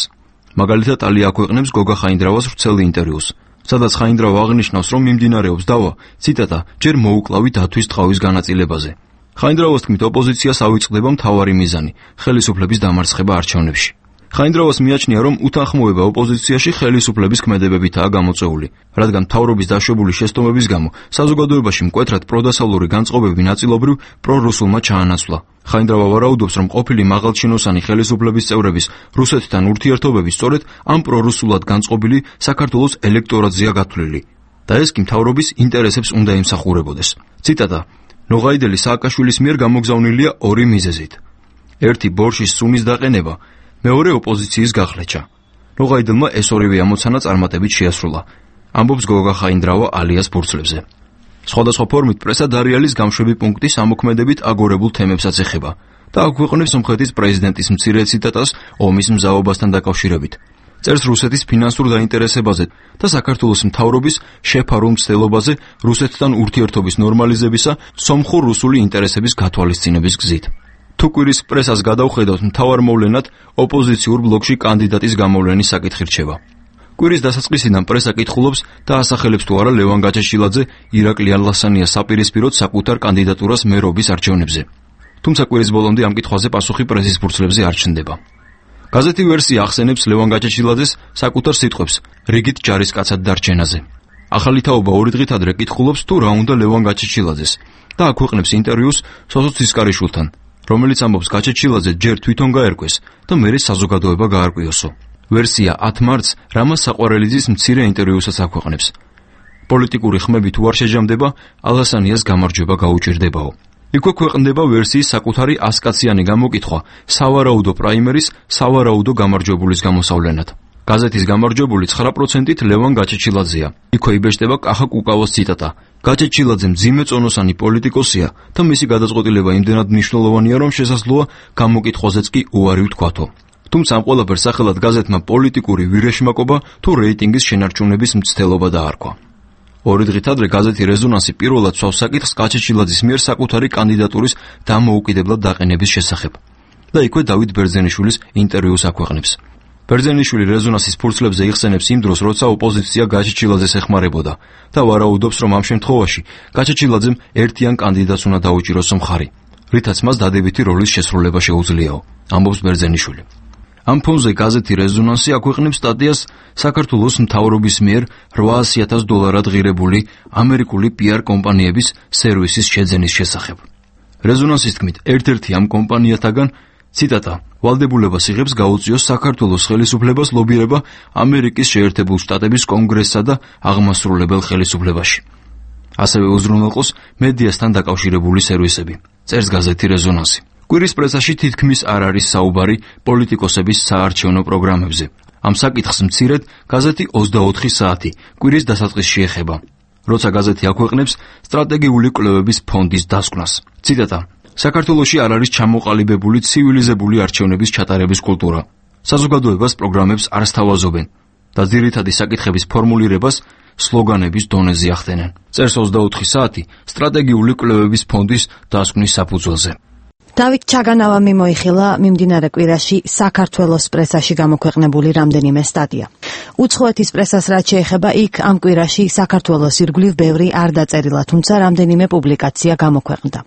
მაგალითად, ალია აქვეყნებს გოგა ხაინდრავას ვრცელ ინტერვიუს, სადაც ხაინდრავა აღნიშნავს, რომ მიმდინარეობს დავა, ციტატა, ჯერ მოუკლავი დათვის ტყავის განაწილებაზე. ხაინდრავას თქმით, ოპოზიციას ავიწყდება მთავარი მიზანი, ხელისუფლების დამარცხება არჩევნებში. ხაინდრავას მიაჩნია, რომ უთანხმოება ოპოზიციაში ხელისუფლების ქმედებებითაა გამოწვეული, რადგან მთავრობის დაშვებული შეცდომების გამო საზოგადოებაში მკვეთრად პროდასავლური განწყობები ნაწილობრივ პრორუსულმა ჩაანაცვლა. ხაინდრავა ვარაუდობს, რომ ყოფილი მაღალჩინოსანი ხელისუფლების წევრების რუსეთთან ურთიერთობები სწორედ ამ პრორუსულად განწყობილი საქართველოს ელექტორატზეა გათვლილი და ეს კი მთავრობის ინტერესებს უნდა ემსახურებოდეს. ციტატა: ნოღაიდელი სააკაშვილის მიერ გამოგზავნილია ორი მიზეზით. ერთი ბორშის სუნის დაყენება, მეორე ოპოზიციის გახლეჩა. ნოღაიდელმა ეს ორივე ამოცანა წარმატებით შეასრულა. ამბობს გოგა ხაინდრავა ალიას ბურცლებზე. სხვადასხვა ფორმით პრესა დარიალის გამშვები პუნქტის ამოქმედებით აგორებულ თემებსაც ეხება და აქვეყნებს სომხეთის პრეზიდენტის მცირე ციტატას ომის მზაობასთან დაკავშირებით. წერს რუსეთის ფინანსურ დაინტერესებაზე და საქართველოს მთავრობის შეფარულ მცდელობაზე რუსეთთან ურთიერთობის ნორმალიზებისა სომხურ-რუსული ინტერესების გათვალისწინების გზით. თუ კვირის პრესას გადავხედავთ, მთავარ მოვლენად ოპოზიციურ ბლოკში კანდიდატის გამოვლენის საკითხი რჩება. კვირის დასაწყისიდან პრესა კითხულობს და ასახელებს თუ არა ლევან გაჩეჩილაძე ირაკლი ალასანიას საპირისპიროდ საკუთარ კანდიდატურას მერობის არჩევნებზე. თუმცა კვირის ბოლომდე ამ კითხვაზე პასუხი პრესის ფურცლებზე არ ჩნდება. გაზეთი ვერსია ახსენებს ლევან გაჩეჩილაძეს საკუთარ სიტყვებს რიგით ჯარისკაცად დარჩენაზე. ახალი თაობა ორი დღით ადრე კითხულობს თუ რა უნდა ლევან გაჩეჩილაძეს და აქვეყნებს ინტერვიუს სოსო ცისკარიშვილთან, რომელიც ამბობს გაჩეჩილაძე ჯერ თვითონ გაერკვეს და მერე საზოგადოება გაარკვიოსო. ვერსია ათ მარტს რამაზ საყვარელიძის მცირე ინტერვიუსაც აქვეყნებს. პოლიტიკური ხმები თუ არ შეჯამდება, ალასანიას გამარჯვება გაუჭირდებაო. იქვე ქვეყნდება ვერსიის საკუთარი ასკაციანი გამოკითხვა სავარაუდო პრაიმერის სავარაუდო გამარჯვებულის გამოსავლენად. გაზეთის გამარჯვებული ცხრა პროცენტით ლევან გაჩეჩილაძეა. იქვე იბეჭდება კახა კუკავოს ციტატა: გაჩეჩილაძე მძიმე წონოსანი პოლიტიკოსია და მისი გადაწყვეტილება იმდენად მნიშვნელოვანია, რომ შესაძლოა გამოკითხვაზეც კი უარი ვთქვათო. თუმცა ამ ყველაფერს სახელად გაზეთმა პოლიტიკური ვირეშმაკობა თუ რეიტინგის შენარჩუნების მცდელობა დაარქვა. ორი დღით ადრე გაზეთი რეზონანსი პირველად სვავს საკითხს გაჩეჩილაძის მიერ საკუთარი კანდიდატურის დამოუკიდებლად დაყენების შესახებ და იქვე დავით ბერძენიშვილის ინტერვიუს აქვეყნებს. ბერძენიშვილი რეზონანსის ფურცლებზე იხსენებს იმ დროს, როცა ოპოზიცია გაჩეჩილაძეს ეხმარებოდა და ვარაუდობს, რომ ამ შემთხვევაში გაჩეჩილაძემ ერთიან კანდიდატს უნდა დაუჭიროს მხარი, რითაც მას დადებითი როლის შესრულება შეუძლიაო, ამბობს ბერძენიშვილი. ამ ფონზე გაზეთი რეზონანსი აქვეყნებს სტატიას საქართველოს მთავრობის მიერ რვაასი ათას დოლარად ღირებული ამერიკული პიარ კომპანიების სერვისის შეძენის შესახებ. რეზონანსის თქმით, ერთ-ერთი ამ კომპანიათაგან ციტატა: ვალდებულებას იღებს გაუწიოს საქართველოს ხელისუფლებას ლობირება ამერიკის შეერთებულ შტატების კონგრესსა და აღმასრულებელ ხელისუფლებაში. ასევე უზრუნველყოს მედიასთან დაკავშირებული სერვისები, წერს გაზეთი რეზონანსი. კვირის პრესაში თითქმის არ არის საუბარი პოლიტიკოსების საარჩევნო პროგრამებზე. ამ საკითხს მცირედ გაზეთი ოცდაოთხი საათი კვირის დასაწყისში ეხება, როცა გაზეთი აქვეყნებს სტრატეგიული კვლევების ფონდის დასკვნას. ციტატა: საქართველოში არ არის ჩამოყალიბებული ცივილიზებული არჩევნების ჩატარების კულტურა. საზოგადოებას პროგრამებს არ სთავაზობენ და ძირითადი საკითხების ფორმულირებას სლოგანების დონეზე ახდენენ. წერს ოცდაოთხი საათი სტრატეგიული კვლევების ფონდის დასკვნის საფუძველზე. დავით ჩაგანავა მიმოიხილა მიმდინარე კვირაში საქართველოს პრესაში გამოქვეყნებული რამდენიმე სტატია. უცხოეთის პრესას რაც შეეხება, იქ ამ კვირაში საქართველოს ირგვლივ ბევრი არ დაწერილა, თუმცა რამდენიმე პუბლიკაცია გამოქვეყნდა.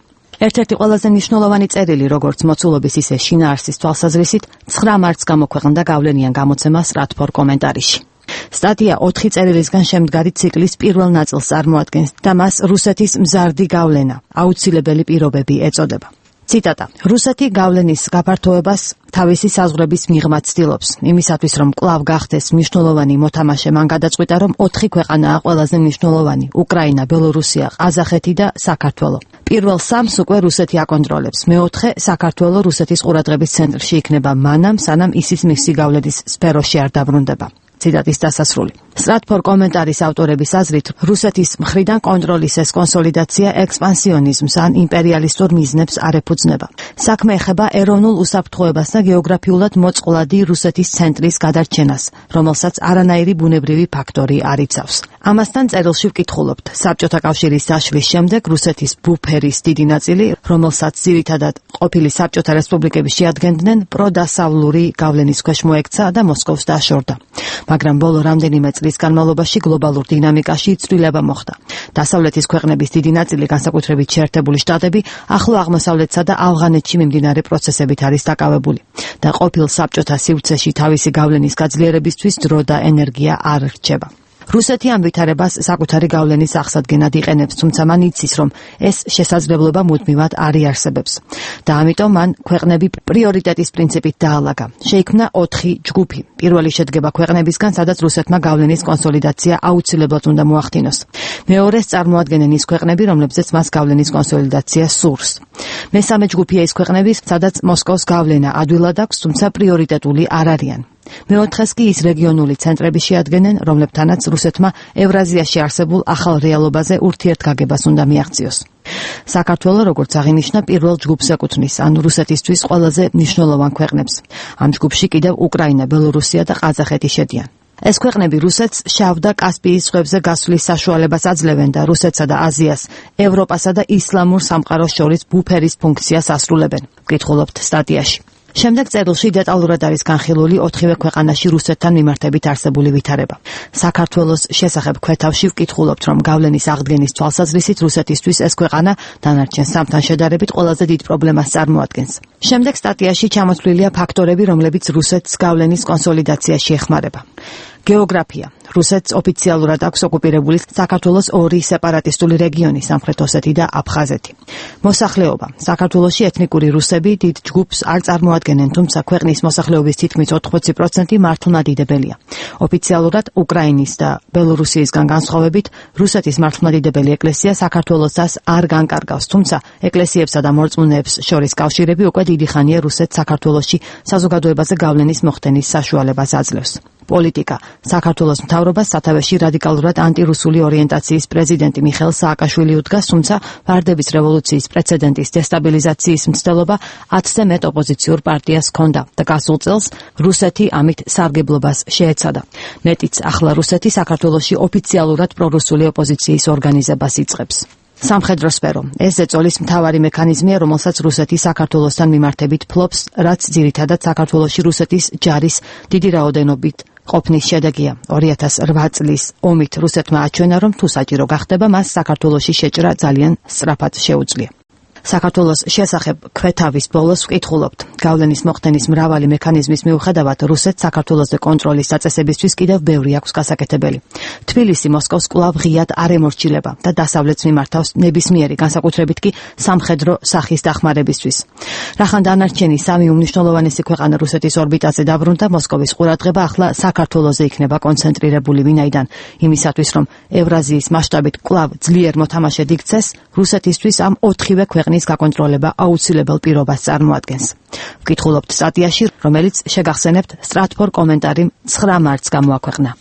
ერთ-ერთი ყველაზე მნიშვნელოვანი წერილი, როგორც მოცულობის, ისე შინაარსის თვალსაზრისით, ცხრა მარტს გამოქვეყნდა გავლენიან გამოცემა სტრატფორ კომენტარიში. სტატია ოთხი წერილისგან შემდგარი ციკლის პირველ ნაწილს წარმოადგენს და მას რუსეთის მზარდი გავლენა, აუცილებელი პირობები ეწოდება. ციტატა: რუსეთი გავლენის გაფართოებას თავისი საზღვრების მიღმა ცდილობს, იმისათვის რომ კვლავ გახდეს მნიშვნელოვანი მოთამაშე, მან გადაწყვიტა, რომ ოთხი ქვეყანაა ყველაზე მნიშვნელოვანი: უკრაინა, ბელორუსია, ყაზახეთი და საქართველო. პირველ სამს უკვე რუსეთი აკონტროლებს, მეოთხე საქართველო რუსეთის ყურადღების ცენტრში იქნება მანამ, სანამ ისიც მისი გავლენის სფეროში არ დაბრუნდება. ციტატის დასასრული. სტრატფორ კომენტარის ავტორების აზრით, რუსეთის მხრიდან კონტროლის ეს კონსოლიდაცია ექსპანსიონიზმს ან იმპერიალისტურ მიზნებს არ ეფუძნება. საქმე ეხება ეროვნულ უსაფრთხოებას და გეოგრაფიულად მოწყვლადი რუსეთის ცენტრის გადარჩენას, რომელსაც არანაირი ბუნებრივი ფაქტორი არ იცავს. ამასთან წერილში ვკითხულობთ, საბჭოთა კავშირის დაშლის შემდეგ რუსეთის ბუფერის დიდი ნაწილი, რომელსაც ძირითადად ყოფილი საბჭოთა რესპუბლიკები შეადგენდნენ, პროდასავლური გავლენის ქვეშ მოექცა და მოსკოვს დაშორდა. მაგრამ ბოლო რამდენიმე წლის განმავლობაში გლობალურ დინამიკაში ცვლილება მოხდა. დასავლეთის ქვეყნების დიდი ნაწილი, განსაკუთრებით შეერთებული შტატები, ახლო აღმოსავლეთსა და ავღანეთში მიმდინარე პროცესებით არის დაკავებული და ყოფილ საბჭოთა სივრცეში თავისი გავლენის გაძლიერებისთვის დრო და ენერგია არ რჩება. რუსეთი ამ ვითარებას საკუთარი გავლენის აღსადგენად იყენებს, თუმცა მან იცის, რომ ეს შესაძლებლობა მუდმივად არ იარსებებს და ამიტომ მან ქვეყნები პრიორიტეტის პრინციპით დაალაგა. შეიქმნა ოთხი ჯგუფი. პირველი შედგება ქვეყნებისგან, სადაც რუსეთმა გავლენის კონსოლიდაცია აუცილებლად უნდა მოახდინოს. მეორეს წარმოადგენენ ის ქვეყნები, რომლებზეც მას გავლენის კონსოლიდაცია სურს. მესამე ჯგუფია ის ქვეყნები, სადაც მოსკოვს გავლენა ადვილად აქვს, თუმცა პრიორიტეტული არ არიან. მეოთხეს კი ის რეგიონული ცენტრები შეადგენენ, რომლებთანაც რუსეთმა ევრაზიაში არსებულ ახალ რეალობაზე ურთიერთგაგებას უნდა მიაღწიოს. საქართველო, როგორც აღინიშნა, პირველ ჯგუფს ეკუთვნის, ანუ რუსეთისთვის ყველაზე მნიშვნელოვან ქვეყნებს. ამ ჯგუფში კიდევ უკრაინა, ბელორუსია და ყაზახეთი შედიან. ეს ქვეყნები რუსეთს შავ და კასპიის ზღვებზე გასვლის საშუალებას აძლევენ და რუსეთსა და აზიას, ევროპასა და ისლამურ სამყაროს შორის ბუფერის ფუნქციას ასრულებენ. ვკითხულობთ სტატიაში. შემდეგ წერილში დეტალურად არის განხილული ოთხივე ქვეყანაში რუსეთთან მიმართებით არსებული ვითარება. საქართველოს შესახებ ქვეთავში ვკითხულობთ, რომ გავლენის აღდგენის თვალსაზრისით რუსეთისთვის ეს ქვეყანა დანარჩენ სამთან შედარებით ყველაზე დიდ პრობლემას წარმოადგენს. შემდეგ სტატიაში ჩამოთვლილია ფაქტორები, რომლებიც რუსეთს გავლენის კონსოლიდაციაში ეხმარება. გეოგრაფია. რუსეთს ოფიციალურად აქვს ოკუპირებული საქართველოს ორი სეპარატისტული რეგიონი, სამხრეთ ოსეთი და აფხაზეთი. მოსახლეობა. საქართველოში ეთნიკური რუსები დიდ ჯგუფს არ წარმოადგენენ, თუმცა ქვეყნის მოსახლეობის თითქმის ოთხმოცი პროცენტი მართლმადიდებელია. ოფიციალურად უკრაინის და ბელორუსიისგან განსხვავებით, რუსეთის მართლმადიდებელი ეკლესია საქართველოსას არ განკარგავს, თუმცა ეკლესიებსა და მორწმუნეებს შორის კავშირები უკვე დიდი ხანია რუსეთს საქართველოში საზოგადოებაზე გავლენის მოხდენის საშუალებას აძლევს. პოლიტიკა. საქართველოს მთავრობას სათავეში რადიკალურად ანტირუსული ორიენტაციის პრეზიდენტი მიხეილ სააკაშვილი უდგას, თუმცა ვარდების რევოლუციის პრეცედენტის დესტაბილიზაციის მცდელობა ათზე მეტ ოპოზიციურ პარტიას ჰქონდა და გასულ წელს რუსეთი ამით სარგებლობას შეეცადა. მეტიც, ახლა რუსეთი საქართველოში ოფიციალურად პრორუსული ოპოზიციის ორგანიზებას იწყებს. სამხედრო სფერო. ეს ზეწოლის მთავარი მექანიზმია, რომელსაც რუსეთი საქართველოსთან მიმართებით ფლობს, რაც ძირითადად საქართველოში რუსეთის ჯარის დიდი რაოდენობით ყოფნის შედეგია. ორი ათას რვა წლის ომით რუსეთმა აჩვენა, რომ თუ საჭირო გახდება, მას საქართველოში შეჭრა ძალიან სწრაფად შეუძლია. საქართველოს შესახებ ქვეთავის ბოლოს ვკითხულობთ. გავლენის მოხდენის მრავალი მექანიზმის მიუხედავად, რუსეთს საქართველოს კონტროლის დაწესებისთვის კიდევ ბევრი აქვს გასაკეთებელი. თბილისი მოსკოვს კვლავ ღიად არ ემორჩილება და დასავლეთს მიმართავს ნებისმიერი, განსაკუთრებით კი სამხედრო სახის დახმარებისთვის. რახან დანარჩენი სამი უმნიშვნელოვანესი ქვეყანა რუსეთის ორბიტაზე დაბრუნდა, მოსკოვის ყურადღება ახლა საქართველოზე იქნება კონცენტრირებული, ვინაიდან იმისათვის, რომ ევრაზიის მასშტაბით კვლავ ძლიერ მოთამაშედ იქცეს, რუსეთისთვის ამ ოთხივე ქვეყნის გაკონტროლება აუცილებელ პირობას წარმოადგენს. ვკითხულობთ სტატიაში, რომელიც შეგახსენებთ სტრატფორ კომენტარი ცხრა მარტს გამოაქვეყნა.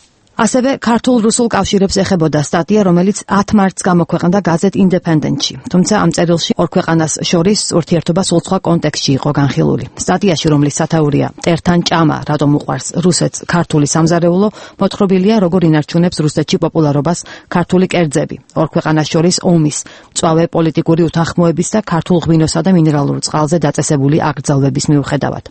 ასევე ქართულ-რუსულ კავშირებს ეხებოდა სტატია, რომელიც ათ მარტს გამოქვეყნდა გაზეთ ინდეპენდენტში. თუმცა ამ წერილში ორ ქვეყანას შორის ურთიერთობა სულ სხვა კონტექსტში იყო განხილული. სტატიაში, რომლის სათაურია „მტერთან ჭამა, რატომ უყვარს რუსეთს ქართული სამზარეულო“, მოთხრობილია, როგორ ინარჩუნებს რუსეთში პოპულარობას ქართული კერძები. ორ ქვეყანას შორის ომის, მწვავე პოლიტიკური უთანხმოების და ქართულ ღვინოსა და მინერალურ წყალზე დაწესებული აკრძალვების მიუხედავად.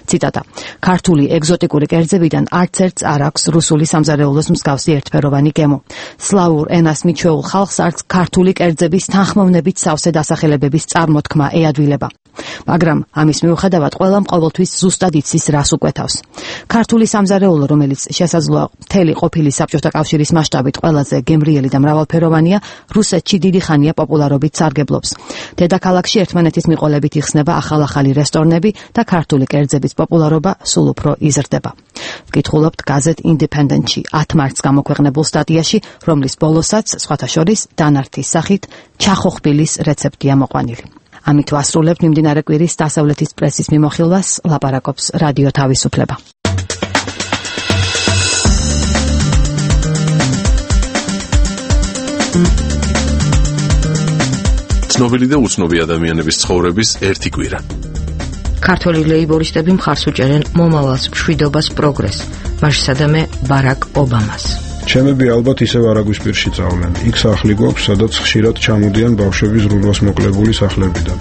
ციტატა: „ქართული ეგზოტიკური კერძებიდან არც ერთს არ აქვს რუსული სამზარეულო მსგავსი ერთფეროვანი გემო. სლავურ ენას მიჩვეულ ხალხს არც ქართული კერძების თანხმოვნებით სავსე დასახელებების წარმოთქმა ეადვილება. მაგრამ ამის მიუხედავად ყველამ ყოველთვის ზუსტად იცის, რას უკვეთავს. ქართული სამზარეულო, რომელიც შესაძლოა მთელი ყოფილი საბჭოთა კავშირის მასშტაბით ყველაზე გემრიელი და მრავალფეროვანია, რუსეთში დიდი ხანია პოპულარობით სარგებლობს. დედაქალაქში ერთმანეთის მიყოლებით იხსნება ახალ-ახალი რესტორნები და ქართული კერძების პოპულარობა სულ უფრო იზრდება. ვკითხულობთ გაზეთ ინდეპენდენტში ათ მარტს გამოქვეყნებულ სტატიაში, რომლის ბოლოსაც, სხვათა შორის, დანართის სახით ჩახოხბილის რეცეპტია მოყვანილი. ამით ვასრულებთ მიმდინარე კვირის დასავლეთის პრესის მიმოხილვას, ლაპარაკობს რადიო თავისუფლება. ცნობილი და უცნობი ადამიანების ცხოვრების ერთი კვირა. ქართველი ლეიბორისტები მხარს უჭერენ მომავალს, მშვიდობას, პროგრესს, მასშტაბზე ბარაკ ობამას. ჩემები ალბათ ისევ არაგვისპირში წავლენ. იქ სახლი გვაქვს, სადაც ხშირად ჩამოდიან ბავშვები ზრუნვას მოკლებული სახლებიდან.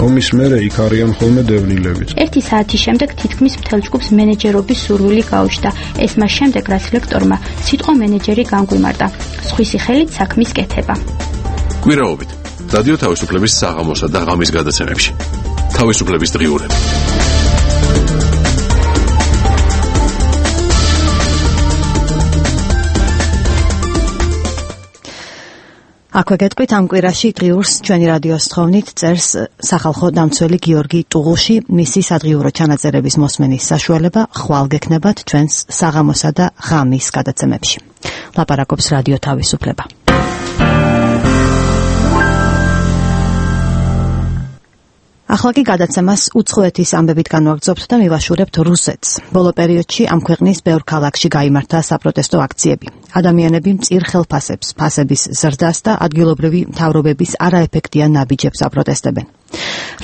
ომის მერე იქ არიან ხოლმე დევნილებიც. ერთი საათის შემდეგ თითქმის მთელ ჯგუფს მენეჯერობის სურვილი გაუჩნდა. ეს მას შემდეგ, რაც ლექტორმა სიტყვა მენეჯერი განგვიმარტა. სხვისი ხელით საქმის კეთება. გვირაობით. რადიო თავისუფლების საღამოსა და ღამის გადაცემებში. თავისუფლების დღიურები. აქვე გეტყვით ამ კვირაში დღიურს ჩვენი რადიოს თხოვნით წერს სახალხო დამცველი გიორგი ტუღუში. მისი სადღიურო ჩანაწერების მოსმენის საშუალება ხვალ გექნებათ ჩვენს საღამოსა და ღამის გადაცემებში. ლაპარაკობს რადიო თავისუფლება. ახლა კი გადაცემას უცხოეთის ამბებით განვაგრძობთ და მივაშურებთ რუსეთს. ბოლო პერიოდში ამ ქვეყნის ბევრ ქალაქში გაიმართა საპროტესტო აქციები. ადამიანები მწირ ხელფასებს, ფასების ზრდას და ადგილობრივი მთავრობების არაეფექტიან ნაბიჯებს აპროტესტებენ.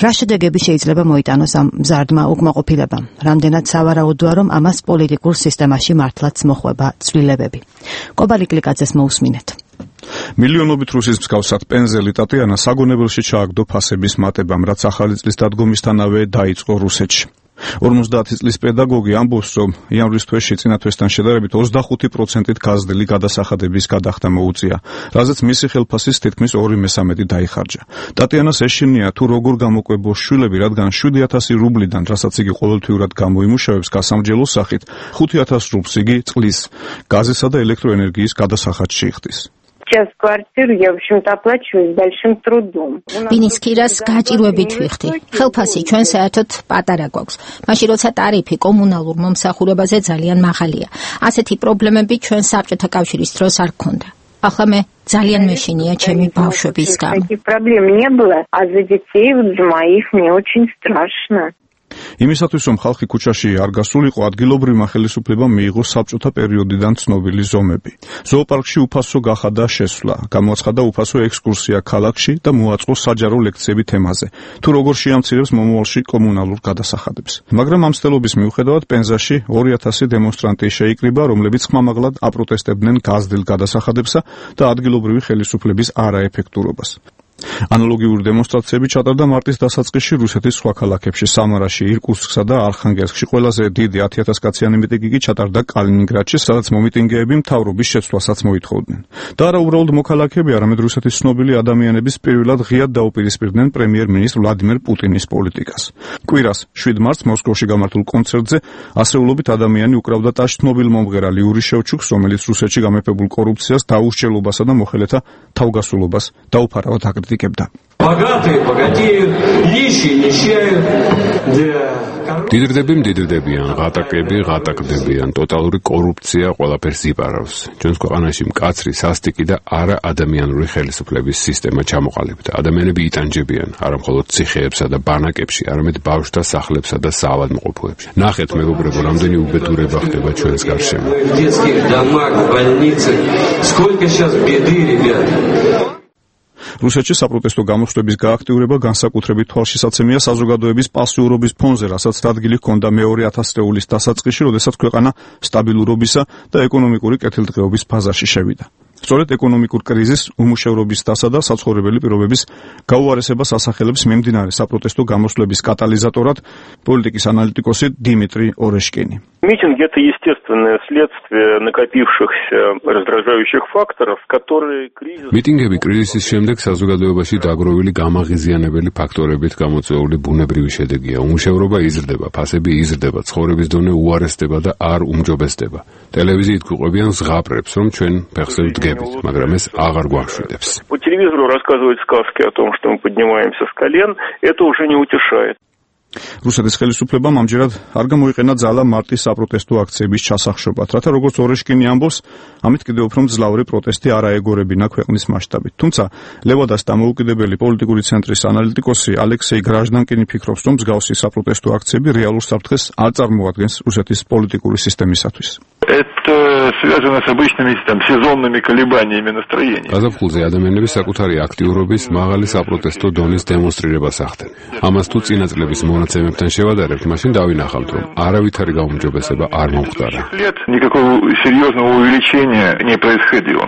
რა შედეგები შეიძლება მოიტანოს ამ მზარდმა უკმაყოფილებამ? რამდენად სავარაუდოა, რომ ამას პოლიტიკურ სისტემაში მართლაც მოხვება ცვლილებები? კობალი კლიკაძეს მოусმინეთ. მილიონობით რუსის მსგავსად პენზელი ტატიანა საგონებელში ჩააგდო ფასების მატებამ, რაც ახალი წლის დადგომისთანავე დაიწყო რუსეთში. ორმოცდაათი წლის პედაგოგი ამბობს, რომ იანვრის თვეში წინა თვესთან შედარებით ოცდახუთი პროცენტით გაზრდილი გადასახადების გადახდა მოუწია, რაზეც მისი ხელფასის თითქმის ორი მესამედი დაიხარჯა. ტატიანას ეშინია თუ როგორ გამოკვებოს შვილები, რადგან შვიდი ათასი რუბლიდან, რასაც იგი ყოველთვიურად გამოიმუშავებს გასამრჯელოს სახით, ხუთი ათას რუბლს იგი წყლის, გაზისა და ელექტროენერგიის გადასახადში იხდის. Сейчас квартиру я, в общем-то, оплачиваю с большим трудом. Ვინის ქირას გაჭირვებით ვიხდი. ხელფასი ჩვენ საერთოდ პატარა გვაქვს. მაშინ როცა ტარიფი კომუნალურ მომსახურებაზე ძალიან მაღალია. ასეთი პრობლემები ჩვენ საბჭოთა კავშირის დროს არ გქონდა. ახლა მე ძალიან მეშინია ჩემი ბავშვების გამო. Таких проблем не было, а за детей вот за моих мне очень страшно. იმისათვის, რომ ხალხი ქუჩაში არ გასულიყო, ადგილობრივმა ხელისუფლებამ მიიღო საბჭოთა პერიოდიდან ცნობილი ზომები. ზოოპარკში უფასო გახადა შესვლა, გამოაცხადა უფასო ექსკურსია ქალაქში და მოაწყო საჯარო ლექციები თემაზე, თუ როგორ შეამცირებს მომავალში კომუნალურ გადასახადებს. მაგრამ ამ მცდელობის მიუხედავად პენზაში ორი ათასი დემონსტრანტი შეიკრიბა, რომლებიც ხმამაღლად აპროტესტებდნენ გაზრდილ გადასახადებსა და ადგილობრივი ხელისუფლების არაეფექტურობას. ანალოგიური დემონსტრაციები ჩატარდა მარტის დასაწყისში რუსეთის სხვა ქალაქებში, სამარაში, ირკუტსკსა და არხანგელსკში. ყველაზე დიდი ათი ათას კაციანი მიტინგი კი ჩატარდა კალინინგრადში, სადაც მომიტინგეები მთავრობის შეცვლასაც მოითხოვდნენ. და არა უბრალოდ მოქალაქეები, არამედ რუსეთის ცნობილი ადამიანების პირველად ღიად დაუპირისპირდნენ პრემიერ-მინისტრ ვლადიმერ პუტინის პოლიტიკას. კვირას შვიდ მარტს მოსკოვში გამართულ კონცერტზე ასეულობით ადამიანი უკრავდა ტაშ ცნობილ მომღერალ იური შევჩუკს, რომელიც რუსეთში გამეფებულ კორუფციას, დაუსჯელობასა და მოხელეთა თავგასულობას დაუფარავად აკრიტიკებდა. დიდრდები მდიდრდებიან, ღატაკები ღატაკდებიან, ტოტალური კორუფცია ყველაფერს იპარავს. ჩვენს ქვეყანაში მკაცრი, სასტიკი და არა ადამიანური ხელისუფლების სისტემა ჩამოყალიბდა. ადამიანები იტანჯებიან, არა მხოლოდ ციხეებსა და ბანაკებში, არამედ ბავშვთა სახლებსა და საავადმყოფოებში. ნახეთ, მეგობრებო, რამდენი უბედურება ხდება ჩვენს გარშემო. რუსეთში საპროტესტო გამოსვლების გააქტიურება განსაკუთრებით თვალშისაცემია საზოგადოების პასიურობის ფონზე, რასაც ადგილი ჰქონდა მეორე ათასწლეულის დასაწყისში, როდესაც ქვეყანა სტაბილურობისა და ეკონომიკური კეთილდღეობის ფაზაში შევიდა. სწორედ ეკონომიკურ კრიზისს, უმუშევრობისთასა და საცხოვრებელი პირობების გაუარესებას ასახელებს მიმდინარე საპროტესტო გამოსვლების კატალიზატორად პოლიტიკის ანალიტიკოსი დიმიტრი ორეშკინი. Митинг – это естественное следствие накопившихся раздражающих факторов, которые кризис... მიტინგები კრიზისის შემდეგ საზოგადოებაში დაგროვილი გამაღიზიანებელი ფაქტორებით გამოწვეული ბუნებრივი შედეგია. უმუშევრობა იზრდება, ფასები იზრდება, ცხოვრების დონე უარესდება და არ უმჯობესდება. ტელევიზიით გვიყვებიან ზღაპრებს, რომ ჩვენ ფეხზე ვდგებით, მაგრამ ეს აღარ გვამშვიდებს. По телевизору рассказывают сказки о том, что мы поднимаемся с колен, это уже не утешает. რუსეთის ხელისუფლებამ ამჯერად არ გამოიყენა ძალა მარტის საპროტესტო აქციების ჩასახშობად, რათა როგორც ორეშკინი ამბობს, ამით კიდევ უფრო მძლავრი პროტესტი არ აეგორებინა ქვეყნის მასშტაბით. თუმცა ლევადას დამოუკიდებელი პოლიტიკური ცენტრის ანალიტიკოსი ალექსეი გრაჟდანკინი ფიქრობს, რომ მსგავსი საპროტესტო აქციები რეალურ საფრთხეს არ წარმოადგენს რუსეთის პოლიტიკური სისტემისათვის. это связано с обычными там сезонными колебаниями настроения. გაზაფხულზე ადამიანები საკუთარი აქტიურობის მაღალი საპროტესტო დონის დემონსტრირებას ახდენ. ამას თუ წინა წლების მონაცემებთან შევადარებთ, მაშინ დავინახავთ, რომ არავითარი გაუმჯობესება არ მომხდარა. Никакого серьезного увеличения не происходило.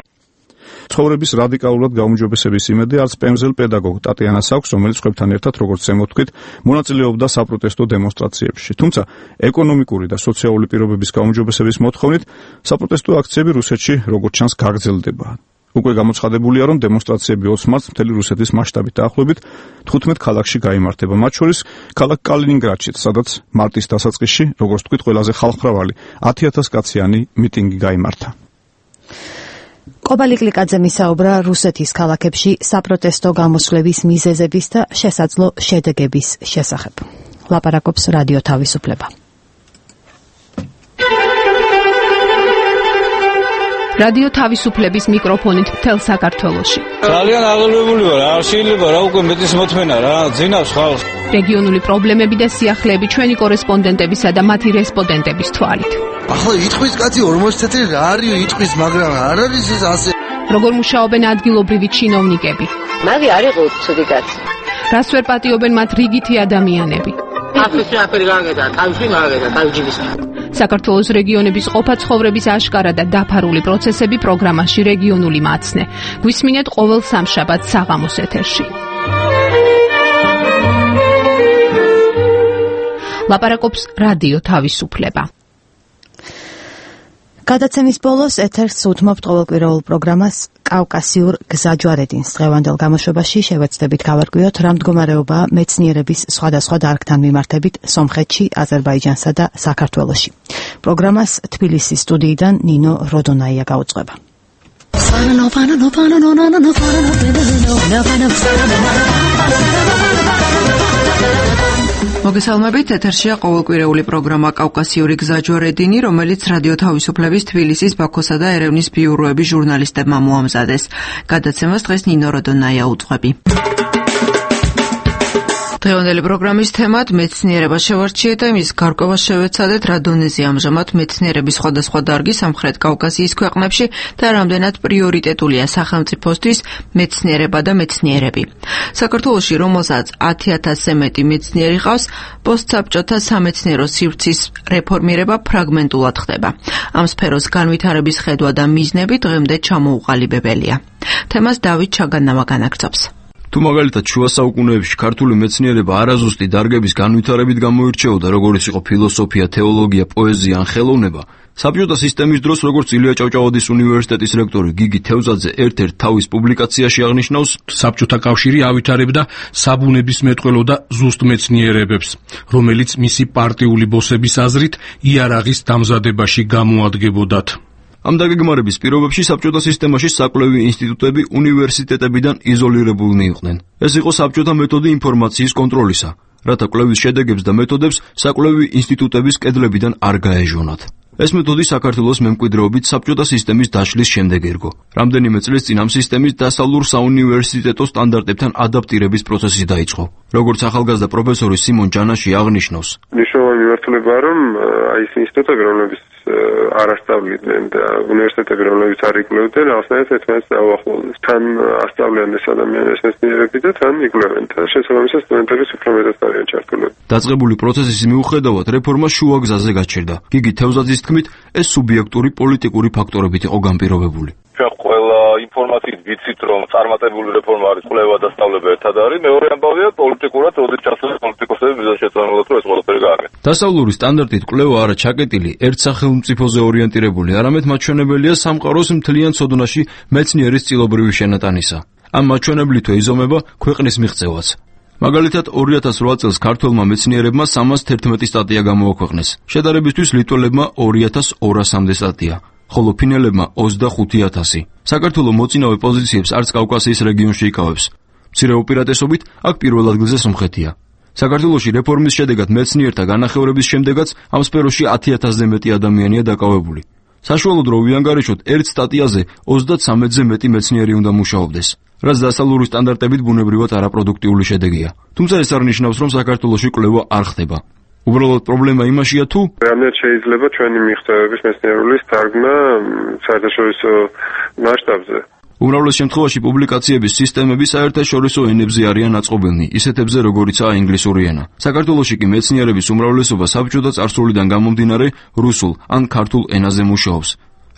ცხოვრების რადიკალურად გაუმჯობესების იმედი არც პემზელ პედაგოგ ტატიანას აქვს, რომელიც ხვებთან ერთად, როგორც ზემოთქვით, მონაწილეობდა საპროტესტო დემონსტრაციებში. თუმცა ეკონომიკური და სოციალური პირობების გაუმჯობესების მოთხოვნით საპროტესტო აქციები რუსეთში, როგორც ჩანს, გაგრძელდება. უკვე გამოცხადებულია, რომ დემონსტრაციები ოცი მარტს მთელი რუსეთის მასშტაბით დაახლოებით თხუთმეტ ქალაქში გაიმართება, მათ შორის ქალაქ კალინინგრადშიც, სადაც მარტის დასაწყისში, როგორც თქვით, ყველაზე ხალხმრავალი ათი ათას კაციანი მიტინგი გაიმართა. კობალი კლიკაძე მისაუბრა რუსეთის ქალაქებში საპროტესტო გამოსვლების მიზეზების და შესაძლო შედეგების შესახებ. ლაპარაკობს რადიო თავისუფლება. რადიო თავისუფლების მიკროფონით მთელ საქართველოში. ძალიან აღელვებული ვარ, არ შეიძლება რა უკვე მეტის მოთმენა რა, ძინავს ხალხს. რეგიონული პრობლემები და სიახლეები ჩვენი კორესპონდენტებისა და მათი რესპონდენტების თვალით. ახლა იტყვის კაცი ორმოცი წელი რა არის იტყვის, მაგრამ არ არის ეს ასე. როგორ მუშაობენ ადგილობრივი ჩინოვნიკები? მაგი არ იყო ცუდი კაცი. რას ვერ პატიობენ მათ რიგითი ადამიანები? აფრიკა აფერი გაგედა, თავში გაგედა, თავჯიბის. საქართველოს რეგიონების ყოფა ცხოვრების აშკარა და დაფარული პროცესები პროგრამაში რეგიონული მაცნე. გვისმინეთ ყოველ სამშაბათს საღამოს ეთერში. ლაპარაკობს რადიო თავისუფლება. გადაცემის ბოლოს ეთერს უთმობთ ყოველკვირეულ პროგრამას კავკასიურ გზაჯვარედინს. დღევანდელ გამოშვებაში შევეცდებით გავარკვიოთ, რა მდგომარეობაა მეცნიერების სხვადასხვა დარგთან მიმართებით სომხეთში, აზერბაიჯანსა და საქართველოში. პროგრამას თბილისის სტუდიიდან ნინო როდონაია გაუძღვება. მოგესალმებით, ეთერშია ყოველკვირეული პროგრამა კავკასიური გზაჯვარედინი, რომელიც რადიო თავისუფლების თბილისის, ბაქოსა და ერევნის ბიუროების ჟურნალისტებმა მოამზადეს. გადაცემას დღეს ნინო როდონაია უძღვები. დღევანდელი პროგრამის თემად მეცნიერება შევარჩიეთ და იმის გარკვევა შევეცადეთ, რა დონეზე ამჟამად მეცნიერების სხვადასხვა დარგი სამხრეთ კავკასიის ქვეყნებში და რამდენად პრიორიტეტულია სახელმწიფოსთვის მეცნიერება და მეცნიერები. საქართველოში, რომელსაც ათი ათასზე მეტი მეცნიერი ყავს, პოსტსაბჭოთა სამეცნიერო სივრცის რეფორმირება ფრაგმენტულად ხდება. ამ სფეროს განვითარების ხედვა და მიზნები დღემდე ჩამოუყალიბებელია. თემას დავით ჩაგანავა განაგრძობს. თუ მაგალითად შუა საუკუნეებში ქართული მეცნიერება არაზუსტი დარგების განვითარებით გამოირჩეოდა, როგორც იყო ფილოსოფია, თეოლოგია, პოეზია ან ხელოვნება, საბჭოთა სისტემის დროს, როგორც ილია ჭავჭავადის უნივერსიტეტის რექტორი გიგი თევზაძე ერთ-ერთ თავის პუბლიკაციაში აღნიშნავს, საბჭოთა კავშირი ავითარებდა საბუნებისმეტყველო და ზუსტ მეცნიერებებს, რომელიც მისი პარტიული ბოსების აზრით იარაღის დამზადებაში გამოადგებოდათ. ამ დაგეგმარების პირობებში საბჭოთა სისტემაში საკვლევი ინსტიტუტები უნივერსიტეტებიდან იზოლირებულნი იყვნენ. ეს იყო საბჭოთა მეთოდი ინფორმაციის კონტროლისა, რათა კვლევის შედეგებს და მეთოდებს საკვლევი ინსტიტუტების კედლებიდან არ გაეჟონათ. ეს მეთოდი საქართველოს მემკვიდრეობით საბჭოთა სისტემის დაშლის შემდეგ ერგო. რამდენიმე წლის წინ ამ სისტემის დასავლურ საუნივერსიტეტო სტანდარტებთან ადაპტირების პროცესი დაიწყო. როგორც ახალგაზრდა პროფესორი სიმონ ჯანაში აღნიშნავს, მნიშვნელოვანი მიმართულება რომ აი ეს ინსტიტუტები, რომლებიც არ ასწავლიდნენ და უნივერსიტეტები, რომლებიც არ იკვლევდნენ, ახსნათ ერთმანეთს დაუახლოვდნენ. თან ასწავლიან ეს ადამიანების მეცნიერები და თან იკვლევენ და შესაბამისად სტუდენტების უფრო მეტად არიან ჩართულები. დაწყებული პროცესის მიუხედავად რეფორმა შუა გზაზე გაჩერდა. გიგი თევზაძის თქმით, ეს სუბიექტური პოლიტიკური ფაქტორებით იყო განპირობებული. ყველა ინფორმაციით ვიცით, რომ წარმატებული რეფორმა არის კვლევა და სწავლება ერთად არის. მეორე ამბავია პოლიტიკურად, როდესაც ჩასული პოლიტიკოსები მიზანშეწონილად რომ ეს ყველაფერი გააკეთეს. დასავლური სტანდარტით კვლევა არა ჩაკეტილი, ერთ სახელმწიფოზე ორიენტირებული, არამედ მაჩვენებელია სამყაროს მთლიან ცოდნაში მეცნიერის წილობრივი შენატანისა. ამ მაჩვენებლითვე იზომება ქვეყნის მიღწევაც. მაგალითად, ორი ათას რვა წელს ქართველმა მეცნიერებმა სამას თერთმეტი სტატია გამოაქვეყნეს. შედარებისთვის ლიტველებმა ორი ათას ორასამდე სტატია. ხოლო ფინელებმა ოცდახუთი ათასი. საქართველოს მოწინავე პოზიციებს არც კავკასიის რეგიონში იკავებს. მცირე უპირატესობით აქ პირველ ადგილზე სომხეთია. საქართველოში რეფორმის შედეგად მეცნიერთა განახევრების შემდეგაც ამ სფეროში ათი ათასზე მეტი ადამიანია დაკავებული. საშუალოდ რო ვიანგარიშოთ, ერთ სტატიაზე ოცდაცამეტზე მეტი მეცნიერი უნდა მუშაობდეს, რაც დასავლური სტანდარტებით ბუნებრივად არაპროდუქტიული შედეგია. თუმცა ეს არ ნიშნავს, რომ საქართველოში კვლევა არ ხდება. უბრალოდ პრობლემა იმაშია თუ რამდენად შეიძლება ჩვენი მიღწევების მეცნიერულის თარგმნა საერთაშორისო მასშტაბზე. უმრავლეს შემთხვევაში პუბლიკაციების სისტემები საერთაშორისო ენებზე არიან აწყობილნი, ისეთებზე როგორიცაა ინგლისური ენა. საქართველოში კი მეცნიერების უმრავლესობა საბჭოთა წარსულიდან გამომდინარე რუსულ ან ქართულ ენაზე მუშაობს.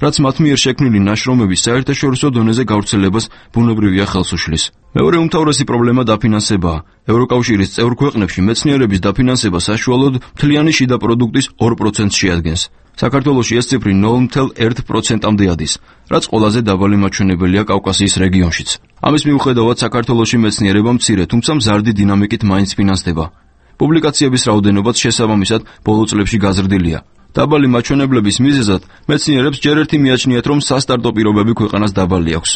რაც მათ მიერ შექმნილი ნაშრომების საერთაშორისო დონეზე გავრცელებას ბუნებრივია ხელს უშლის. მეორე უმთავრესი პრობლემა დაფინანსებაა. ევროკავშირის წევრ ქვეყნებში მეცნიერების დაფინანსება საშუალოდ მთლიანი შიდა პროდუქტის ორ პროცენტს შეადგენს. საქართველოში ეს ციფრი ნულ მცდარ ერთ პროცენტამდე ადის, რაც ყველაზე დაბალი მაჩვენებელია კავკასიის რეგიონშიც. ამის მიუხედავად საქართველოში მეცნიერება მცირე, თუმცა მზარდი დინამიკით მაინც ფინანსდება. პუბლიკაციების რაოდენობაც შესაბამისად ბოლო წლებში გაზრდილია. დაბალი მაჩვენებლების მიზეზად მეცნიერებს ჯერ ერთი მიაჩნიათ, რომ სასტარტო პირობები ქვეყანას დაბალი აქვს.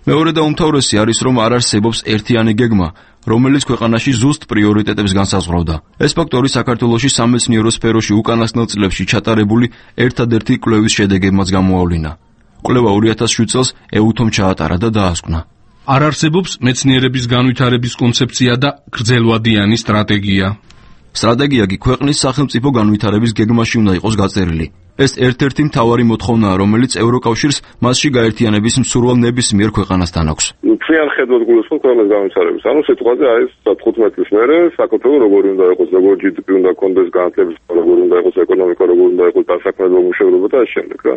მეორე და უმთავრესი არის, რომ არ არსებობს ერთიანი გეგმა, რომელიც ქვეყანაში ზუსტ პრიორიტეტებს განსაზღვრავდა. ეს ფაქტორი საქართველოში სამეცნიერო სფეროში უკანასკნელ წლებში ჩატარებული ერთადერთი კვლევის შედეგებმაც გამოავლინა. კვლევა ორი ათას შვიდ წელს ეუთომ ჩაატარა და დაასკვნა. არ არსებობს მეცნიერების განვითარების კონცეფცია და გრძელვადიანი სტრატეგია. სტრატეგია კი ქვეყნის სახელმწიფო განვითარების გეგმაში უნდა იყოს გაწერილი. ეს ერთ-ერთი მთავარი მოთხოვნაა, რომელიც ევროკავშირს მასში გაერთიანების მსურვალ ნებისმიერ ქვეყანასთან აქვს. ძალიან ხედავთ გულისხმობ ქვეყნის განვითარების. ანუ სიტყვაზე არის თხუთმეტ წლის მერე საქართველოს როგორი უნდა იყოს, როგორი ჯი დი პი უნდა კონდეს, განათლების როგორი უნდა იყოს, ეკონომიკა როგორი უნდა იყოს, დასაქმებო მუშაობა და ამ შემდეგ რა.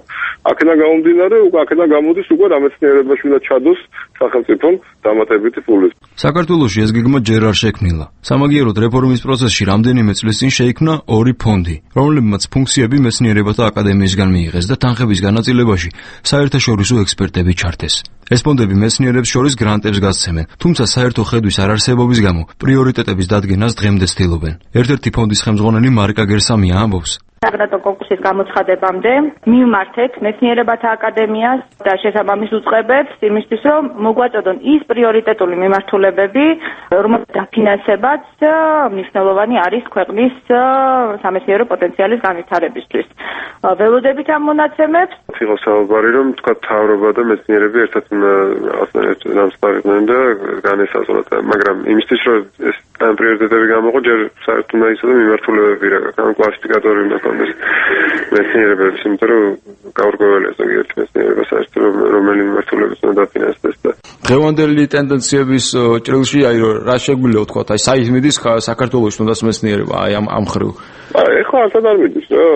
აქედან გამომდინარე, უკვე აქედან გამოდის უკვე რამეცნიერებაში უნდა ჩადოს სახელმწიფომ დამატებითი ფული. საქართველოში ეს გეგმა ჯერ არ შექმნილა. სამაგიეროდ რეფორმის პროცესში რამდენიმე წლის წინ შეიქმნა ორი ფონდი, რომლებმაც ფუნქციები მეცნიერებათა აკადემიისგან მიიღეს და თანხების განაწილებაში საერთაშორისო ექსპერტები ჩართეს. ეს ფონდები მეცნიერებს შორის გრანტებს გასცემენ, თუმცა საერთო ხედვის არარსებობის გამო პრიორიტეტების დადგენას დღემდე ცდილობენ. ერთ-ერთი ფონდის ხელმძღვანელი მარიკა გერსამია ამბობს: საგრაფო კონკურსის გამოცხადებამდე მივმართეთ მეცნიერებათა აკადემიას და შესაბამის უწყებებს იმისთვის, რომ მოგვაწოდონ ის პრიორიტეტული მიმართულებები, რომელთა დაფინანსებაც მნიშვნელოვანი არის ქვეყნის სამეცნიერო პოტენციალის განვითარებისთვის. ველოდებით ამ მონაცემებს. იყო საუბარი, რომ თქვა მთავრობა და მეცნიერები ერთად დამსწრებდნენ და განესაზღვრათ, მაგრამ იმისთვის, რომ ეს ამ პრიორიტეტები გამოყო, ჯერ საერთოდ უნდა იცოდე მიმართულებები რა, ან კლასიფიკატორი უნდა კონდეს მეცნიერებებს, იმიტომ რომ გაურკვეველია ზოგიერთი მეცნიერება საერთოდ რომელი მიმართულებით უნდა დაფინანსდეს და დღევანდელი ტენდენციების ჭრილში აი რა შეგვიძლია ვთქვა, აი საით მიდის საქართველოს თუნდაც მეცნიერება აი ამ ამ ხრივ. აი ეხლა არც არ მიდის რა,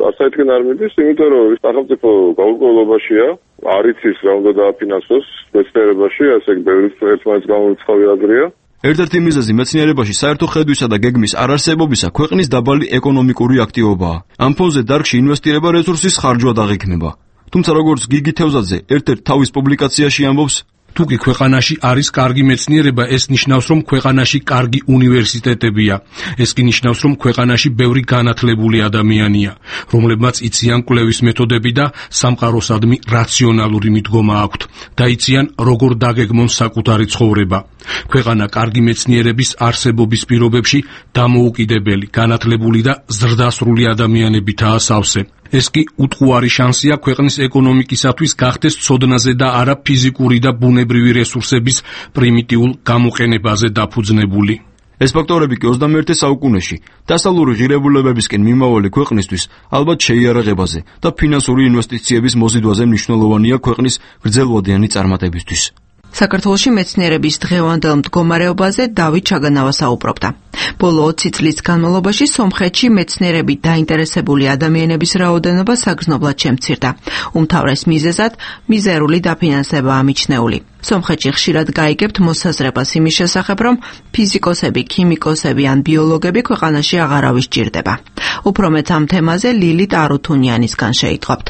არც საითგან არ მიდის, იმიტომ რომ სახელმწიფო გაურკვევლობაშია, არ იცის რა უნდა დააფინანსოს მეცნიერებაში, ასე ბევრი ერთმანეთს გამორიცხავი აზრია. ერთ-ერთი მიზეზი მეცნიერებაში საერთო ხედვისა და გეგმის არარსებობისა ქვეყნის დაბალი ეკონომიკური აქტივობაა. ამ ფონზე დარგში ინვესტირება რესურსის ხარჯვად აღიქმება. თუმცა როგორც გიგი თევზაძე ერთ-ერთ თავის პუბლიკაციაში ამბობს, თუ კი ქვეყანაში არის კარგი მეცნიერება, ეს ნიშნავს, რომ ქვეყანაში კარგი უნივერსიტეტებია. ეს კი ნიშნავს, რომ ქვეყანაში ბევრი განათლებული ადამიანია, რომლებმაც იციან კვლევის მეთოდები და სამყაროსადმი რაციონალური მიდგომა აქვთ და იციან, როგორ დაგეგმონ საკუთარი ცხოვრება. ქვეყანა კარგი მეცნიერების არსებობის პირობებში დამოუკიდებელი, განათლებული და ზრდასრული ადამიანებითაა სავსე. ეს კი უტყუარი შანსია ქვეყნის ეკონომიკისათვის გახდეს ცოდნაზე და არა ფიზიკური და ბუნებრივი რესურსების პრიმიტიულ გამოყენებაზე დაფუძნებული. ეს ფაქტორები კი ოცდამეერთე საუკუნეში დასავლური ღირებულებებისკენ მიმავალი ქვეყნისთვის ალბათ შეიარაღებაზე და ფინანსური ინვესტიციების მოზიდვაზე მნიშვნელოვანია ქვეყნის გრძელვადიანი წარმატებისთვის. საქართველოში მეცნიერების დღევანდელ მდგომარეობაზე დავით ჩაგანავა საუბრობდა. ბოლო ოცი წლის განმავლობაში სომხეთში მეცნიერებით დაინტერესებული ადამიანების რაოდენობა საგრძნობლად შემცირდა. უმთავრეს მიზეზად მიზერული დაფინანსებაა მიჩნეული. სომხეთში ხშირად გაიგებთ მოსაზრებას იმის შესახებ, რომ ფიზიკოსები, ქიმიკოსები ან ბიოლოგები ქვეყანაში აღარავის ჭირდება. უფრო მეც ამ თემაზე ლილით არუთუნიანისგან შეიტყობთ.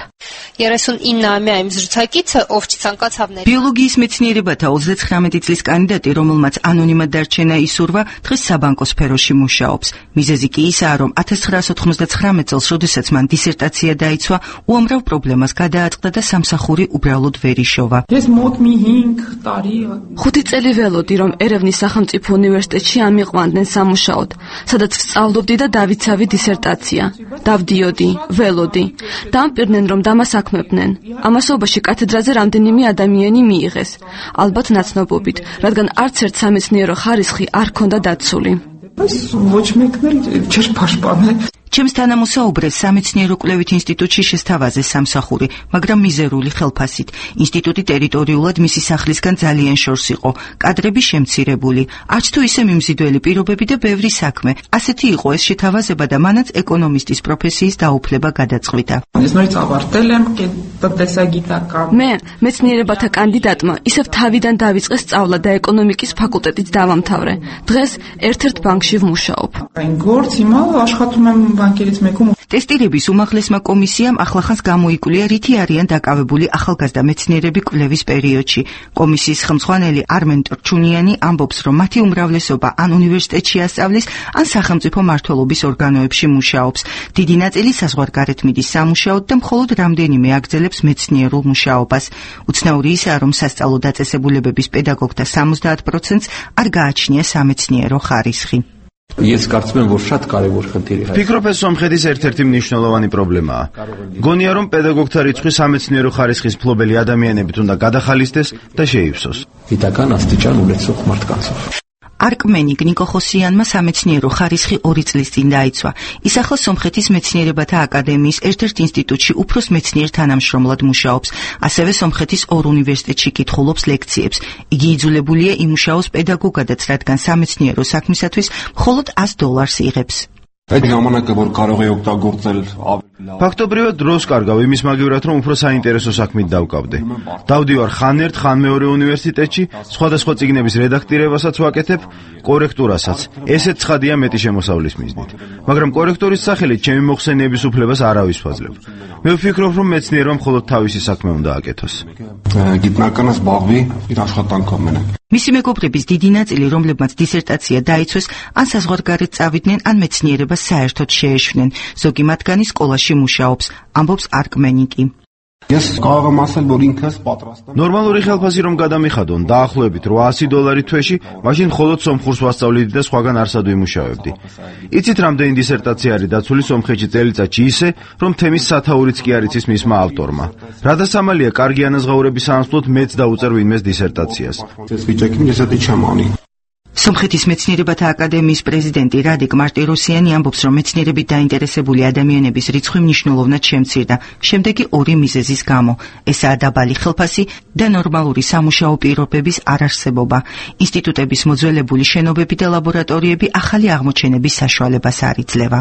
ბიოლოგიის მეცნიერებათა ოცდათხრამეტი წლის კანდიდატი, რომელმაც ანონიმად დარჩენა ისურვა, დღეს საბანკო სფეროში მუშაობს. მიზეზი კი ისაა, რომ ათას ცხრაასა ოთხმოცდათხრამეტ წელს, როდესაც მან დისერტაცია დაიცვა, უამრავ პრობლემას გადააწყდა და სამსახური უბრალოდ ვერ იშოვა. ხუთი წელი ველოდი, რომ ერევნის სახელმწიფო უნივერსიტეტში ამიყვანდნენ სამუშაოდ, სადაც ვსწავლობდი და დავიცავი დისერტაცია. დავდიოდი, ველოდი. დამპირდნენ, რომ დამასაქმებდნენ. ამასობაში კათედრაზე რამდენიმე ადამიანი მიიღეს. ალბათ ნაცნობობით, რადგან არც ერთ სამეცნიერო ხარისხი არ ქონდა დაცული. ոչ մեկն էլ չէր պաշտպանել։ Ჩემს თანამოსაუბრეს სამეცნიერო კვლევით ინსტიტუტში შესთავაზე სამსახური, მაგრამ მიზერული ხელფასით. ინსტიტუტი ტერიტორიულად მისი სახლისგან ძალიან შორს იყო, კადრები შემცირებული, არც თუ ისე მიმზიდველი პირობები და ბევრი საქმე. ასეთი იყო ეს შეთავაზება და მანაც ეკონომისტის პროფესიის დაუფლება გადაწყვიტა. მე მეცნიერებათა კანდიდატმა ისევ თავიდან დავიწყე სწავლა და ეკონომიკის ფაკულტეტიც დავამთავრე. დღეს ერთ-ერთ ბანკში ვმუშაობ. ტესტირების უმაღლესმა კომისიამ ახლახანს გამოიკვლია, რითი არიან დაკავებული ახალგაზრდა მეცნიერები კვლევის პერიოდში. კომისიის ხელმძღვანელი არმენ ტრჩუნიანი ამბობს, რომ მათი უმრავლესობა ან უნივერსიტეტში ასწავლის, ან სახელმწიფო მმართველობის ორგანოებში მუშაობს. დიდი ნაწილი საზღვარგარეთ მიდის სამუშაოდ და მხოლოდ რამდენიმე აგრძელებს მეცნიერულ მუშაობას. უცნაური ისაა, რომ სასწავლო დაწესებულებების პედაგოგთა სამოცდაათ პროცენტს არ გააჩნია სამეცნიერო ხარისხი. ფიქრობ, ეს სომხეთის ერთ-ერთი მნიშვნელოვანი პრობლემაა. გონია, რომ პედაგოგთა რიცხვი სამეცნიერო ხარისხის მფლობელი ადამიანებით უნდა გადახალისდეს და შეივსოს. არკმენიკ ნიკოხოსიანმა სამეცნიერო ხარისხი ორი წლის წინ დაიცვა. ის ახლა სომხეთის მეცნიერებათა აკადემიის ერთ-ერთ ინსტიტუტში უფროს მეცნიერ თანამშრომლად მუშაობს. ასევე სომხეთის ორ უნივერსიტეტში კითხულობს ლექციებს. იგი იძულებულია იმუშაოს პედაგოგადაც, რადგან სამეცნიერო საქმისათვის მხოლოდ ას დოლარს იღებს. ფაქტობრივად დროს კარგავ იმის მაგივრად, რომ უფრო საინტერესო საქმით დავკავდე. დავდივარ ხან ერთ, ხან მეორე უნივერსიტეტში, სხვადასხვა წიგნების რედაქტირებასაც ვაკეთებ, კორექტურასაც. ესეც ცხადია მეტი შემოსავლის მიზნით. მაგრამ კორექტორის სახელით ჩემი მოხსენიების უფლებას არავის ვაძლევ. მე ვფიქრობ, რომ მეცნიერმა მხოლოდ თავისი საქმე უნდა აკეთოს. მისი მეგობრების დიდი ნაწილი, რომლებმაც დისერტაცია დაიცვეს, ან საზღვარგარეთ წავიდნენ, ან მეცნიერებას საერთოდ შეეშვნენ. ზოგი მათგანი სკოლაში მუშაობს, ამბობს არკმენიკი. ნორმალური ხელფასი რომ გადამიხადონ, დაახლოებით რვაასი დოლარი თვეში, მაშინ მხოლოდ სომხურს ვასწავლიდი და სხვაგან არსად ვიმუშავებდი. იცით, რამდენი დისერტაცია არის დაცული სომხეთში წელიწადში ისე, რომ თემის სათაურიც კი არ იცის მისმა ავტორმა. რა დასამალია, კარგი ანაზღაურების საანსვლოდ მეც დაუწერ ვინმეს დისერტაციას. სომხეთის მეცნიერებათა აკადემიის პრეზიდენტი რადიკ მარტიროსიანი ამბობს, რომ მეცნიერებით დაინტერესებული ადამიანების რიცხვი მნიშვნელოვნად შემცირდა, შემდეგი ორი მიზეზის გამო. ესაა დაბალი ხელფასი და ნორმალური სამუშაო პირობების არარსებობა. ინსტიტუტების მოძველებული შენობები და ლაბორატორიები ახალი აღმოჩენების საშუალებას არ იძლევა.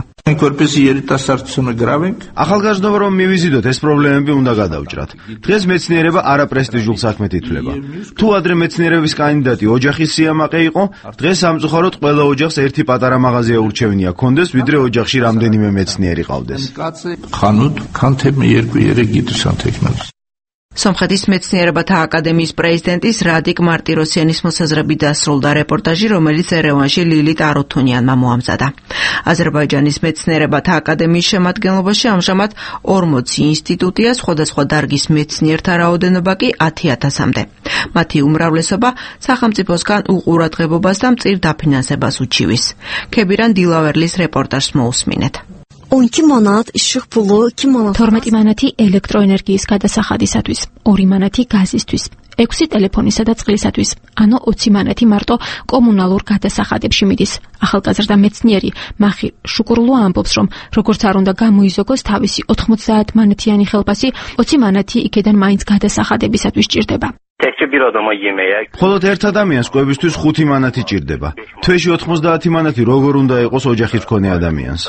ახალგაზრდობა რომ მივიზიდოთ, ეს პრობლემები უნდა გადავჭრათ. დღეს მეცნიერება არაპრესტიჟულ საქმედ ითვლება. თუ ადრე მეცნიერების კანდიდატი ოჯახის სიამაყე იყო, დღეს სამწუხაროდ ყველა ოჯახს ერთი პატარა მაღაზია ურჩევნია კონდეს, ვიდრე ოჯახში რამდენიმე მეცნიერი ყავდეს. სომხეთის მეცნიერებათა აკადემიის პრეზიდენტის რადიკ მარტიროსიანის მოსაზრებით დასრულდა რეპორტაჟი, რომელიც ერევანში ლილიტ არუთუნიანმა მოამზადა. აზერბაიჯანის მეცნიერებათა აკადემიის შემადგენლობაში ამჟამად ორმოცი ინსტიტუტია, სხვადასხვა დარგის მეცნიერთა რაოდენობა კი ათი ათასამდე. მათი უმრავლესობა სახელმწიფოსგან უყურადღებობას და მწირ დაფინანსებას უჩივის. ქებირან დილავერლის რეპორტაჟს მოусმინეთ. თორმეტი მანათი ელექტროენერგიის გადასახადისათვის, ორი მანათი გაზისთვის, ექვსი ტელეფონისა და წყლისათვის, ანუ ოცი მანათი მარტო კომუნალურ გადასახადებში მიდის. ახალგაზრდა მეცნიერი მახი შუკურლუ ამბობს, რომ როგორც არ უნდა გამოიზოგოს თავისი ოთხმოცდაათ მანათიანი ხელფასი, ოცი მანათი იქედან მაინც გადასახადებისათვის ჭირდება. მხოლოდ ერთ ადამიანს კვებისთვის ხუთი მანათი ჭირდება. თვეში ოთხმოცდაათი მანათი როგორ უნდა იყოს ოჯახის მქონე ადამიანს?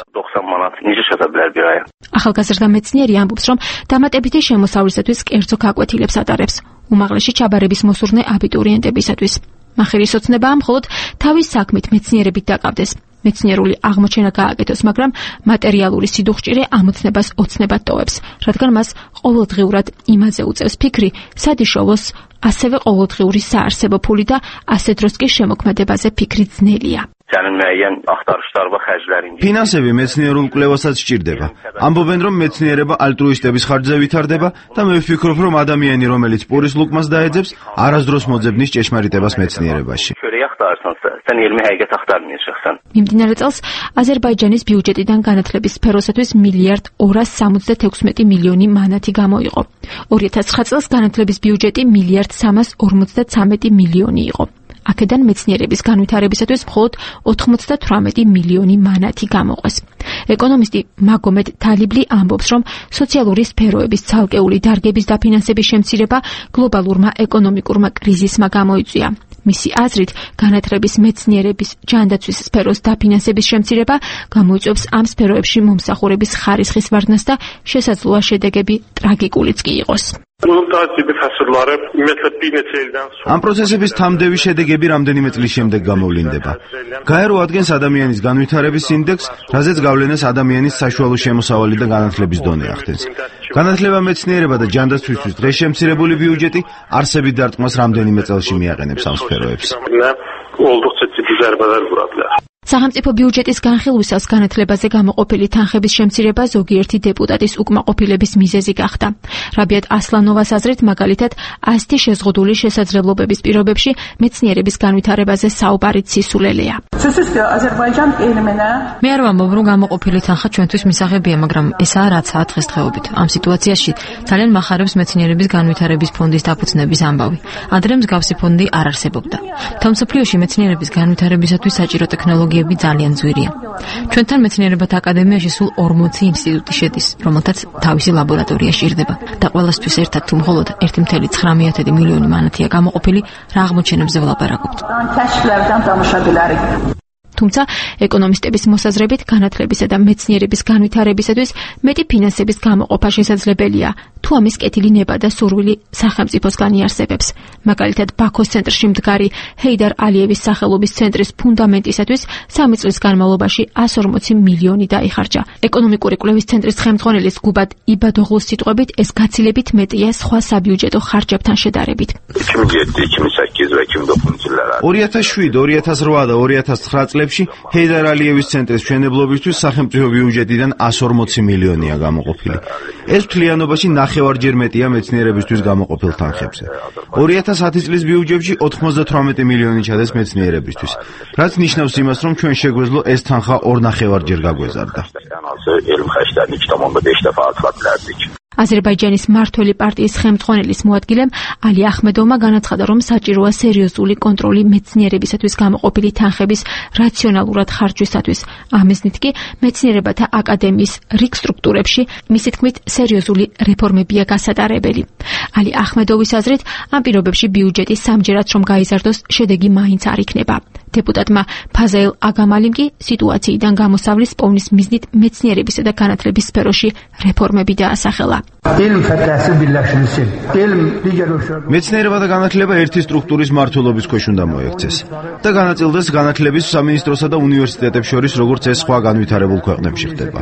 ახალგაზრდა მეცნიერი ამბობს, რომ დამატებითი შემოსავლისათვის კერძო გაკვეთილებს ატარებს, უმაღლესი ჩაბარების მოსურნე აბიტურიენტებისათვის. მახირის ოცნებაა მხოლოდ თავის საქმით მეცნიერებით დაკავდეს. მეცნიერული აღმოჩენა გააკეთოს, მაგრამ მატერიალური სიდუხჭირე ამოცნებას ოცნებად ტოვებს, რადგან მას ყოველდღიურად იმაზე უწევს ფიქრი, სად იშოვოს, ასევე ყოველდღიური საარსებო ფული და ასე დროს კი შემოქმედებაზე ფიქრი ძნელია. ფინანსები მეცნიერულ კვლევასაც სჭირდება. ამბობენ, რომ მეცნიერება ალტრუისტების ხარჯზე ვითარდება და მე ვფიქრობ, რომ ადამიანი, რომელიც პურის ლუკმას დაეძებს, არასდროს მოძებნის ჭეშმარიტებას მეცნიერებაში. მიმდინარე წელს აზერბაიჯანის ბიუჯეტიდან განათლების სფეროსათვის მილიარდ ორას სამოცდათექვსმეტი მილიონი მანათი გამოიყო. ორი ათას ცხრა წელს განათლების ბიუჯეტი მილიარდ სამას ორმოცდათვრამეტი მილიონი იყო. აქედან მეცნიერების განვითარებისათვის მხოლოდ ოთხმოცდათვრამეტი მილიონი მანათი გამოყვეს. ეკონომისტი მაგომედ თალიბლი ამბობს, რომ სოციალური სფეროების ცალკეული დარგების დაფინანსების შემცირება გლობალურმა ეკონომიკურმა კრიზისმა გამოიწვია. მისი აზრით, განათლების, მეცნიერების, ჯანდაცვის სფეროს დაფინანსების შემცირება გამოიწვევს ამ სფეროებში მომსახურების ხარისხის ვარდნას და შესაძლოა შედეგები ტრაგიკულიც კი იყოს. ამ პროცესების თამდევი შედეგები რამდენიმე წლის შემდეგ გამოვლინდება. გაერო ადგენს ადამიანის განვითარების ინდექსს, რაზეც გავლენას ადამიანის საშუალო შემოსავალი და განათლების დონე ახდენს. განათლება, მეცნიერება და ჯანდაცვისთვის დღეს შემცირებული ბიუჯეტი არსებით დარტყმას რამდენიმე წელში მიაყენებს ამ სფეროებს. სახელმწიფო ბიუჯეტის განხილვისას განათლებაზე გამოყოფილი თანხების შემცირება ზოგიერთი დეპუტატის უკმაყოფილების მიზეზი გახდა. რაბიათ ასლანოვას აზრით, მაგალითად, ასეთი შეზღუდული შესაძლებლობების პირობებში მეცნიერების განვითარებაზე საუბარი ცისულელეა. მე არ ვამბობ, რომ გამოყოფილი თანხა ჩვენთვის მისაღებია, მაგრამ ესაა რაცაა დღესდღეობით. ამ სიტუაციაში ძალიან მახარებს მეცნიერების განვითარების ფონდის დაფუძნების ამბავი. ადრე მსგავსი ფონდი არ არსებობდა. თავმსოფლიოში მეცნიერების განვითარებისათვის საჭირო ტექნოლოგიები ძალიან ძვირია. ჩვენთან მეცნიერებათა აკადემიაში სულ ორმოცი ინსტიტუტი შედის, რომელთაც თავისი ლაბორატორია სჭირდება და ყველასთვის ერთად თუ მხოლოდ ერთი წუთი ცხრამეტი მილიონი მანათია გამოყოფილი, რა აღმოჩენებზე ვლაპარაკობთ. თუმცა ეკონომისტების მოსაზრებით განათლებისა და მეცნიერების განვითარებისათვის მეტი ფინანსების გამოყოფა შესაძლებელია, თუ ამის კეთილი ნება და სურვილი სახელმწიფოსგან იარსებებს. მაგალითად, ბაქოს ცენტრში მდგარი ჰეიდარ ალიევის სახელობის ცენტრის ფუნდამენტისათვის სამი წლის განმავლობაში εκατი ორმოცი მილიონი დაიხარჯა. ეკონომიკური კვლევის ცენტრის ხელმძღვანელის გუბად იბადოღლუს სიტყვებით, ეს გაცილებით მეტია სხვა საბიუჯეტო ხარჯებთან შედარებით. ორი ათას შვიდ, ორი ათას რვა და ორი ათას ცხრა წლებში ჰეიდარ ალიევის ცენტრის მშენებლობისთვის სახელმწიფო ბიუჯეტიდან εκατი ორმოცი მილიონია გამოყოფილი. ეს მთლიანობაში ნახევარჯერ მეტია მეცნიერებისთვის გამოყოფილ თანხებზე. ორი ათას ათი წლის ბიუჯეტში ოთხმოცდათვრამეტი მილიონი ჩადეს მეცნიერებისთვის, რაც ნიშნავს იმას, რომ ჩვენ შეგვეძლო ეს თანხა ორნახევარჯერ გაგვეზარდა. აზერბაიჯანის მმართველი პარტიის ხელმძღვანელის მოადგილემ ალი ახმედოვმა განაცხადა, რომ საჭიროა სერიოზული კონტროლი მეცნიერებისათვის გამოყოფილი თანხების რაციონალურად ხარჯვისათვის. ამიზნით კი მეცნიერებათა აკადემიის რიგ სტრუქტურებში მისი თქმით სერიოზული რეფორმებია გასატარებელი. ალი ახმედოვის აზრით, ამ პირობებში ბიუჯეტი სამჯერად რომ გაიზარდოს, შედეგი მაინც არ იქნება. დეპუტატმა ფაზაილ აგამალიმ კი სიტუაციიდან გამოსავლის პოვნის მიზნით მეცნიერებისა და განათლების სფეროში რეფორმები დაასახელა. მეცნიერება და განათლება ერთი სტრუქტურის მმართველობის ქვეშ უნდა მოექცეს და განაწილდეს განათლების სამინისტროსა და უნივერსიტეტებს შორის, როგორც ეს სხვა განვითარებულ ქვეყნებში ხდება.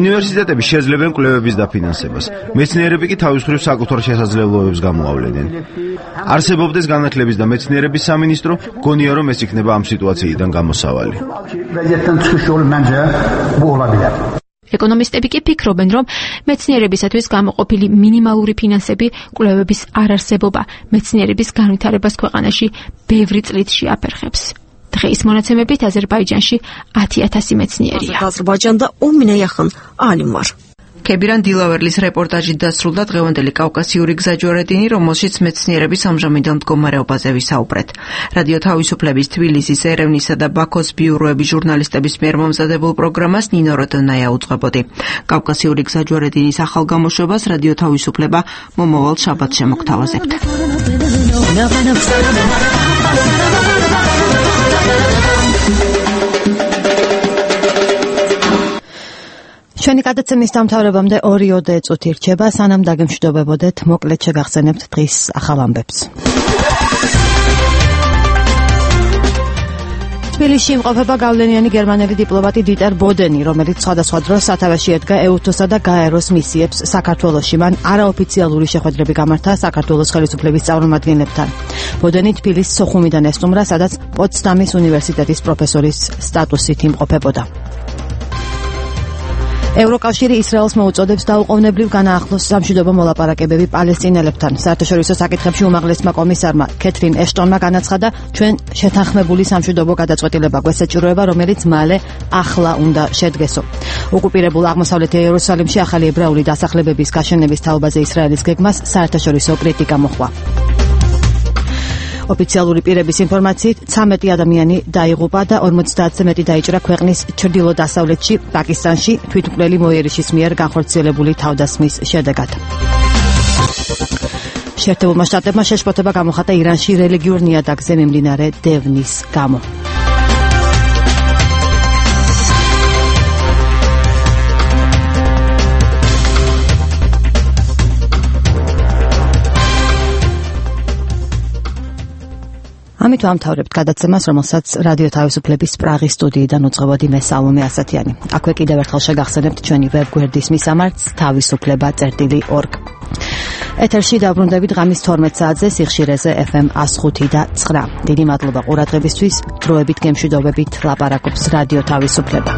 უნივერსიტეტები შეძლებენ კვლევების დაფინანსებას, მეცნიერები კი თავის მხრივ საკუთარ შესაძლებლობებს გამოავლენენ. არსებობდეს განათლების და მეცნიერების სამინისტრო, გონია რომ ეს იქნება ამ სიტუაციიდან გამოსავალი. ეკონომისტები კი ფიქრობენ, რომ მეცნიერებისათვის გამოყოფილი მინიმალური ფინანსები, კვლევების არარსებობა მეცნიერების განვითარებას ქვეყანაში ბევრი წლით შეაფერხებს. დღეის მონაცემებით აზერბაიჯანში ათი ათასი მეცნიერია. აზერბაიჯанда он меня yaxın alim var. ქებირან დილავერლის რეპორტაჟი დასრულდა დღევანდელი კავკასიური გზაჯვარედინი, რომელშიც მეცნიერების ამჟამინდელ მდგომარეობაზე ვისაუბრეთ. რადიო თავისუფლების თბილისის, ერევნისა და ბაქოს ბიუროების ჟურნალისტების მიერ მომზადებულ პროგრამას ნინო როდონაია უძღვებოდი. კავკასიური გზაჯვარედინის ახალ გამოშვებას რადიო თავისუფლება მომავალ შაბათს შემოგთავაზებთ. ჩვენი გადაცემის დამთავრებამდე ორი-ოდე წუთი რჩება, სანამ დაგემშვიდობებოდეთ, მოკლედ შეგახსენებთ დღის ახალ ამბებს. თბილისში იმყოფება გავლენიანი გერმანელი დიპლომატი დიტერ ბოდენი, რომელიც სხვადასხვა დროს სათავეში ედგა ეუთოსა და გაეროს მისიებს საქართველოში. მან არაოფიციალური შეხვედრები გამართა საქართველოს ხელისუფლების წარმომადგენლებთან. ბოდენი თბილისს სოხუმიდან ესტუმრა, სადაც პოტსდამის უნივერსიტეტის პროფესორის სტატუსით იმყოფებოდა. ევროკავშირი ისრაელს მოუწოდებს დაუყოვნებლივ განაახლოს სამშვიდობო მოლაპარაკებები პალესტინელებთან. საერთაშორისო საკითხებში უმაღლესმა კომისარმა კეთრინ ეშტონმა განაცხადა, ჩვენ შეთანხმებული სამშვიდობო გადაწყვეტილება გვესაჭიროება, რომელიც მალე ახლა უნდა შედგესო. ოკუპირებულ აღმოსავლეთ იერუსალიმში ახალი ებრაული დასახლებების გაშენების თაობაზე ისრაელის გეგმას საერთაშორისო კრიტიკა მოჰყვა. ოფიციალური პირების ინფორმაციით ცამეტი ადამიანი დაიღუპა და ორმოცდაათზე მეტი დაიჭრა ქვეყნის ჩრდილო-დასავლეთში, პაკისტანში თვითმკვლელი მოიერიშის მიერ განხორციელებული თავდასხმის შედეგად. შეერთებულმა შტატებმა შეშფოთება გამოხატა ირანში რელიგიურ ნიადაგზე მიმდინარე დევნის გამო. ამით ვამთავრებთ გადაცემას, რომელსაც რადიო თავისუფლების პრაღის სტუდიიდან უძღვებოდი მე სალომე ასათიანი. აქვე კიდევ ერთხელ შეგახსენებთ ჩვენი ვებგვერდის მისამართს თავისუფლება წერტილი ორგ. ეთერში დაბრუნდებით ღამის თორმეტ საათზე სიხშირეზე ეფ ემ εκατს ხუთი და ცხრა. დიდი მადლობა ყურადღებისთვის. დროებით გემშვიდობებით ლაპარაკობს რადიო თავისუფლება.